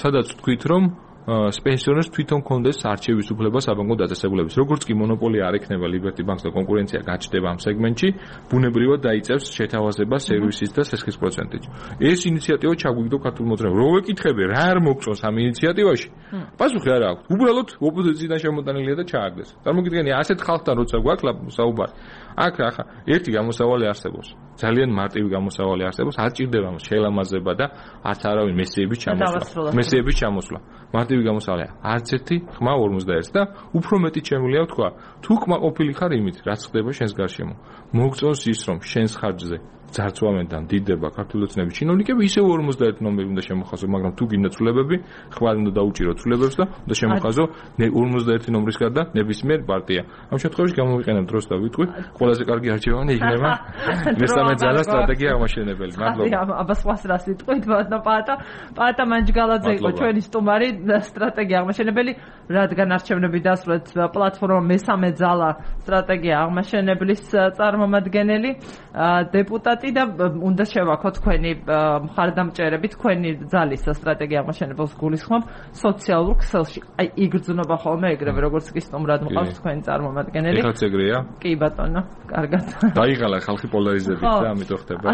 სადაც თქვით რომ პენსიონერს თვითონ კონდეს არჩევის უფლება საბანკო დაწესებულების. როგორც კი მონოპოლია არ ექნება Liberty Bank-ს და კონკურენცია გაჩნდება ამ სეგმენტში, ბუნებრივად დაიწევს შეთავაზებას სერვისის და სესხის პროცენტით. ეს ინიციატივა ჩაგვიგდო ქართულ მოძრაობას. რო ვეკითხები, რა არ მოგწონს ამ ინიციატივაში? პასუხი არ აქვს. უბრალოდ ოპოზიციიდან შემოტანილია და ჩააგდეს. წარმოგიდგენი, ასეთ ხალხთან როცა გვაქვს საუბარი, აქ ახლა ერთი გამოსავალი არსებობს. ძალიან მარტივი გამოსავალი არსებობს. არ ჭირდება შეელამაზება და არც არავინ მესიების ჩამოსვლა. მესიების ჩამოსვლა. მარტივი გამოსავალია. არც ერთი ხმა ორმოცდაერთი და უფრო მეტი შემიძლია თქვა, თუ კმაყოფილი ხარ იმით, რაც ხდება შენს გარშემო. მოგწონს ის, რომ შენს ხარჯზე ძარცვამენთან დიდება ქართული ოცნების ჩინოვნიკები, ისევ ორმოცდაერთი ნომერი უნდა შემოხაზო, მაგრამ თუ გინდა ცვლილებები, ხმარი უნდა დაუჭირო ცვლილებებს და უნდა შემოხაზო ორმოცდაერთი ნომრის გარდა ნებისმიერ პარტია. ამ შემთხვევაში გამოვიყენებ დროს და ვიტყვი, ყველაზე კარგი არჩევანი იქნება მესამე ძალა სტრატეგია აღმაშენებელი. მადლობა. აბა სხვას რას ვიტყვით, ბატონო პაატა, პაატა მანჯგალაძე იყო ჩვენი სტუმარი სტრატეგია აღმაშენებელი, რადგან არჩევნები დასრულეთ პლატფორმა მესამე ძალა სტრატეგია აღმაშენებლის წარმომადგენელი დეპუტატი და უნდა შევაქო თქვენი მხარდამჭერები თქვენი ძალის სტრატეგია აღმაშენებელს გულისხმობ სოციალურ ქსელში. აი იგრძნობა ხოლმე ეგრევე როგორც კი სტუმრად მყავს თქვენი წარმომადგენელი. ეხაც ეგრეა? კი ბატონო, კარგად. დაიღალა ხალხი პოლარიზებით და ამიტომ ხდება.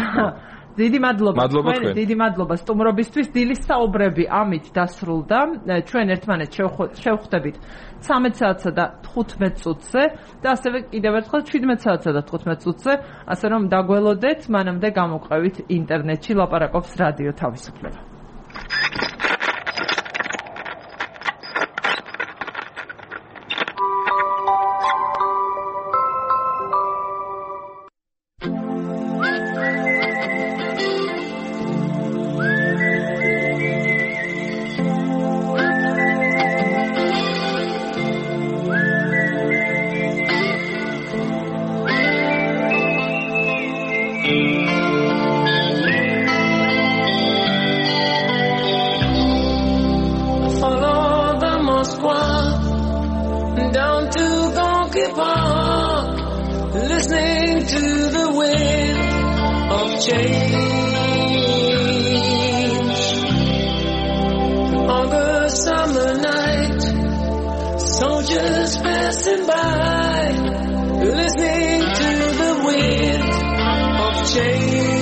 დიდი მადლობა თქვენ, დიდი მადლობა სტუმრობისთვის. დილის საუბრები ამით დასრულდა. ჩვენ ერთმანეთს შევხვდებით ცამეტ საათსა და თხუთმეტ წუთზე და ასევე კიდევ ერთხელ შვიდმეტ საათსა და თხუთმეტ წუთზე, ასე რომ დაგველოდეთ, მანამდე გამოვყევით ინტერნეტში ლაპარაკობს რადიო თავისუფლება. Change.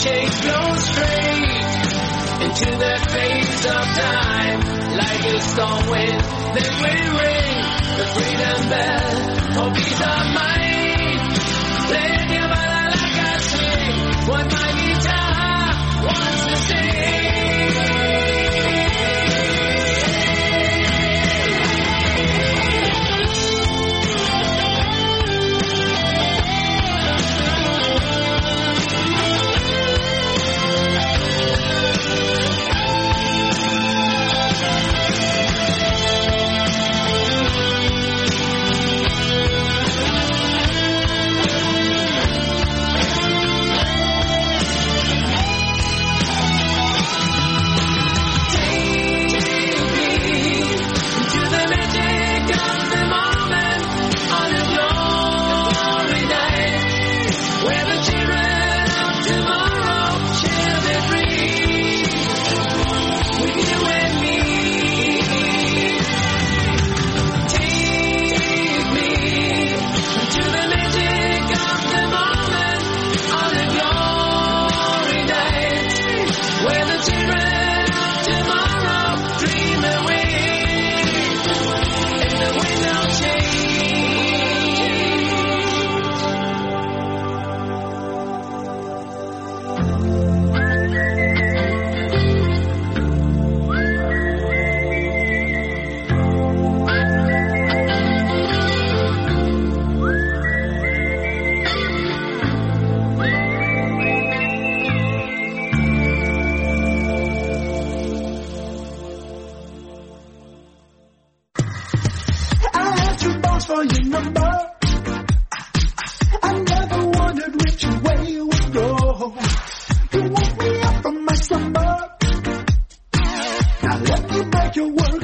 change flows straight into the face of time, like a storm wind that will ring the freedom bell for peace of mind. Play your body like I swing what my guitar wants to sing. Your world.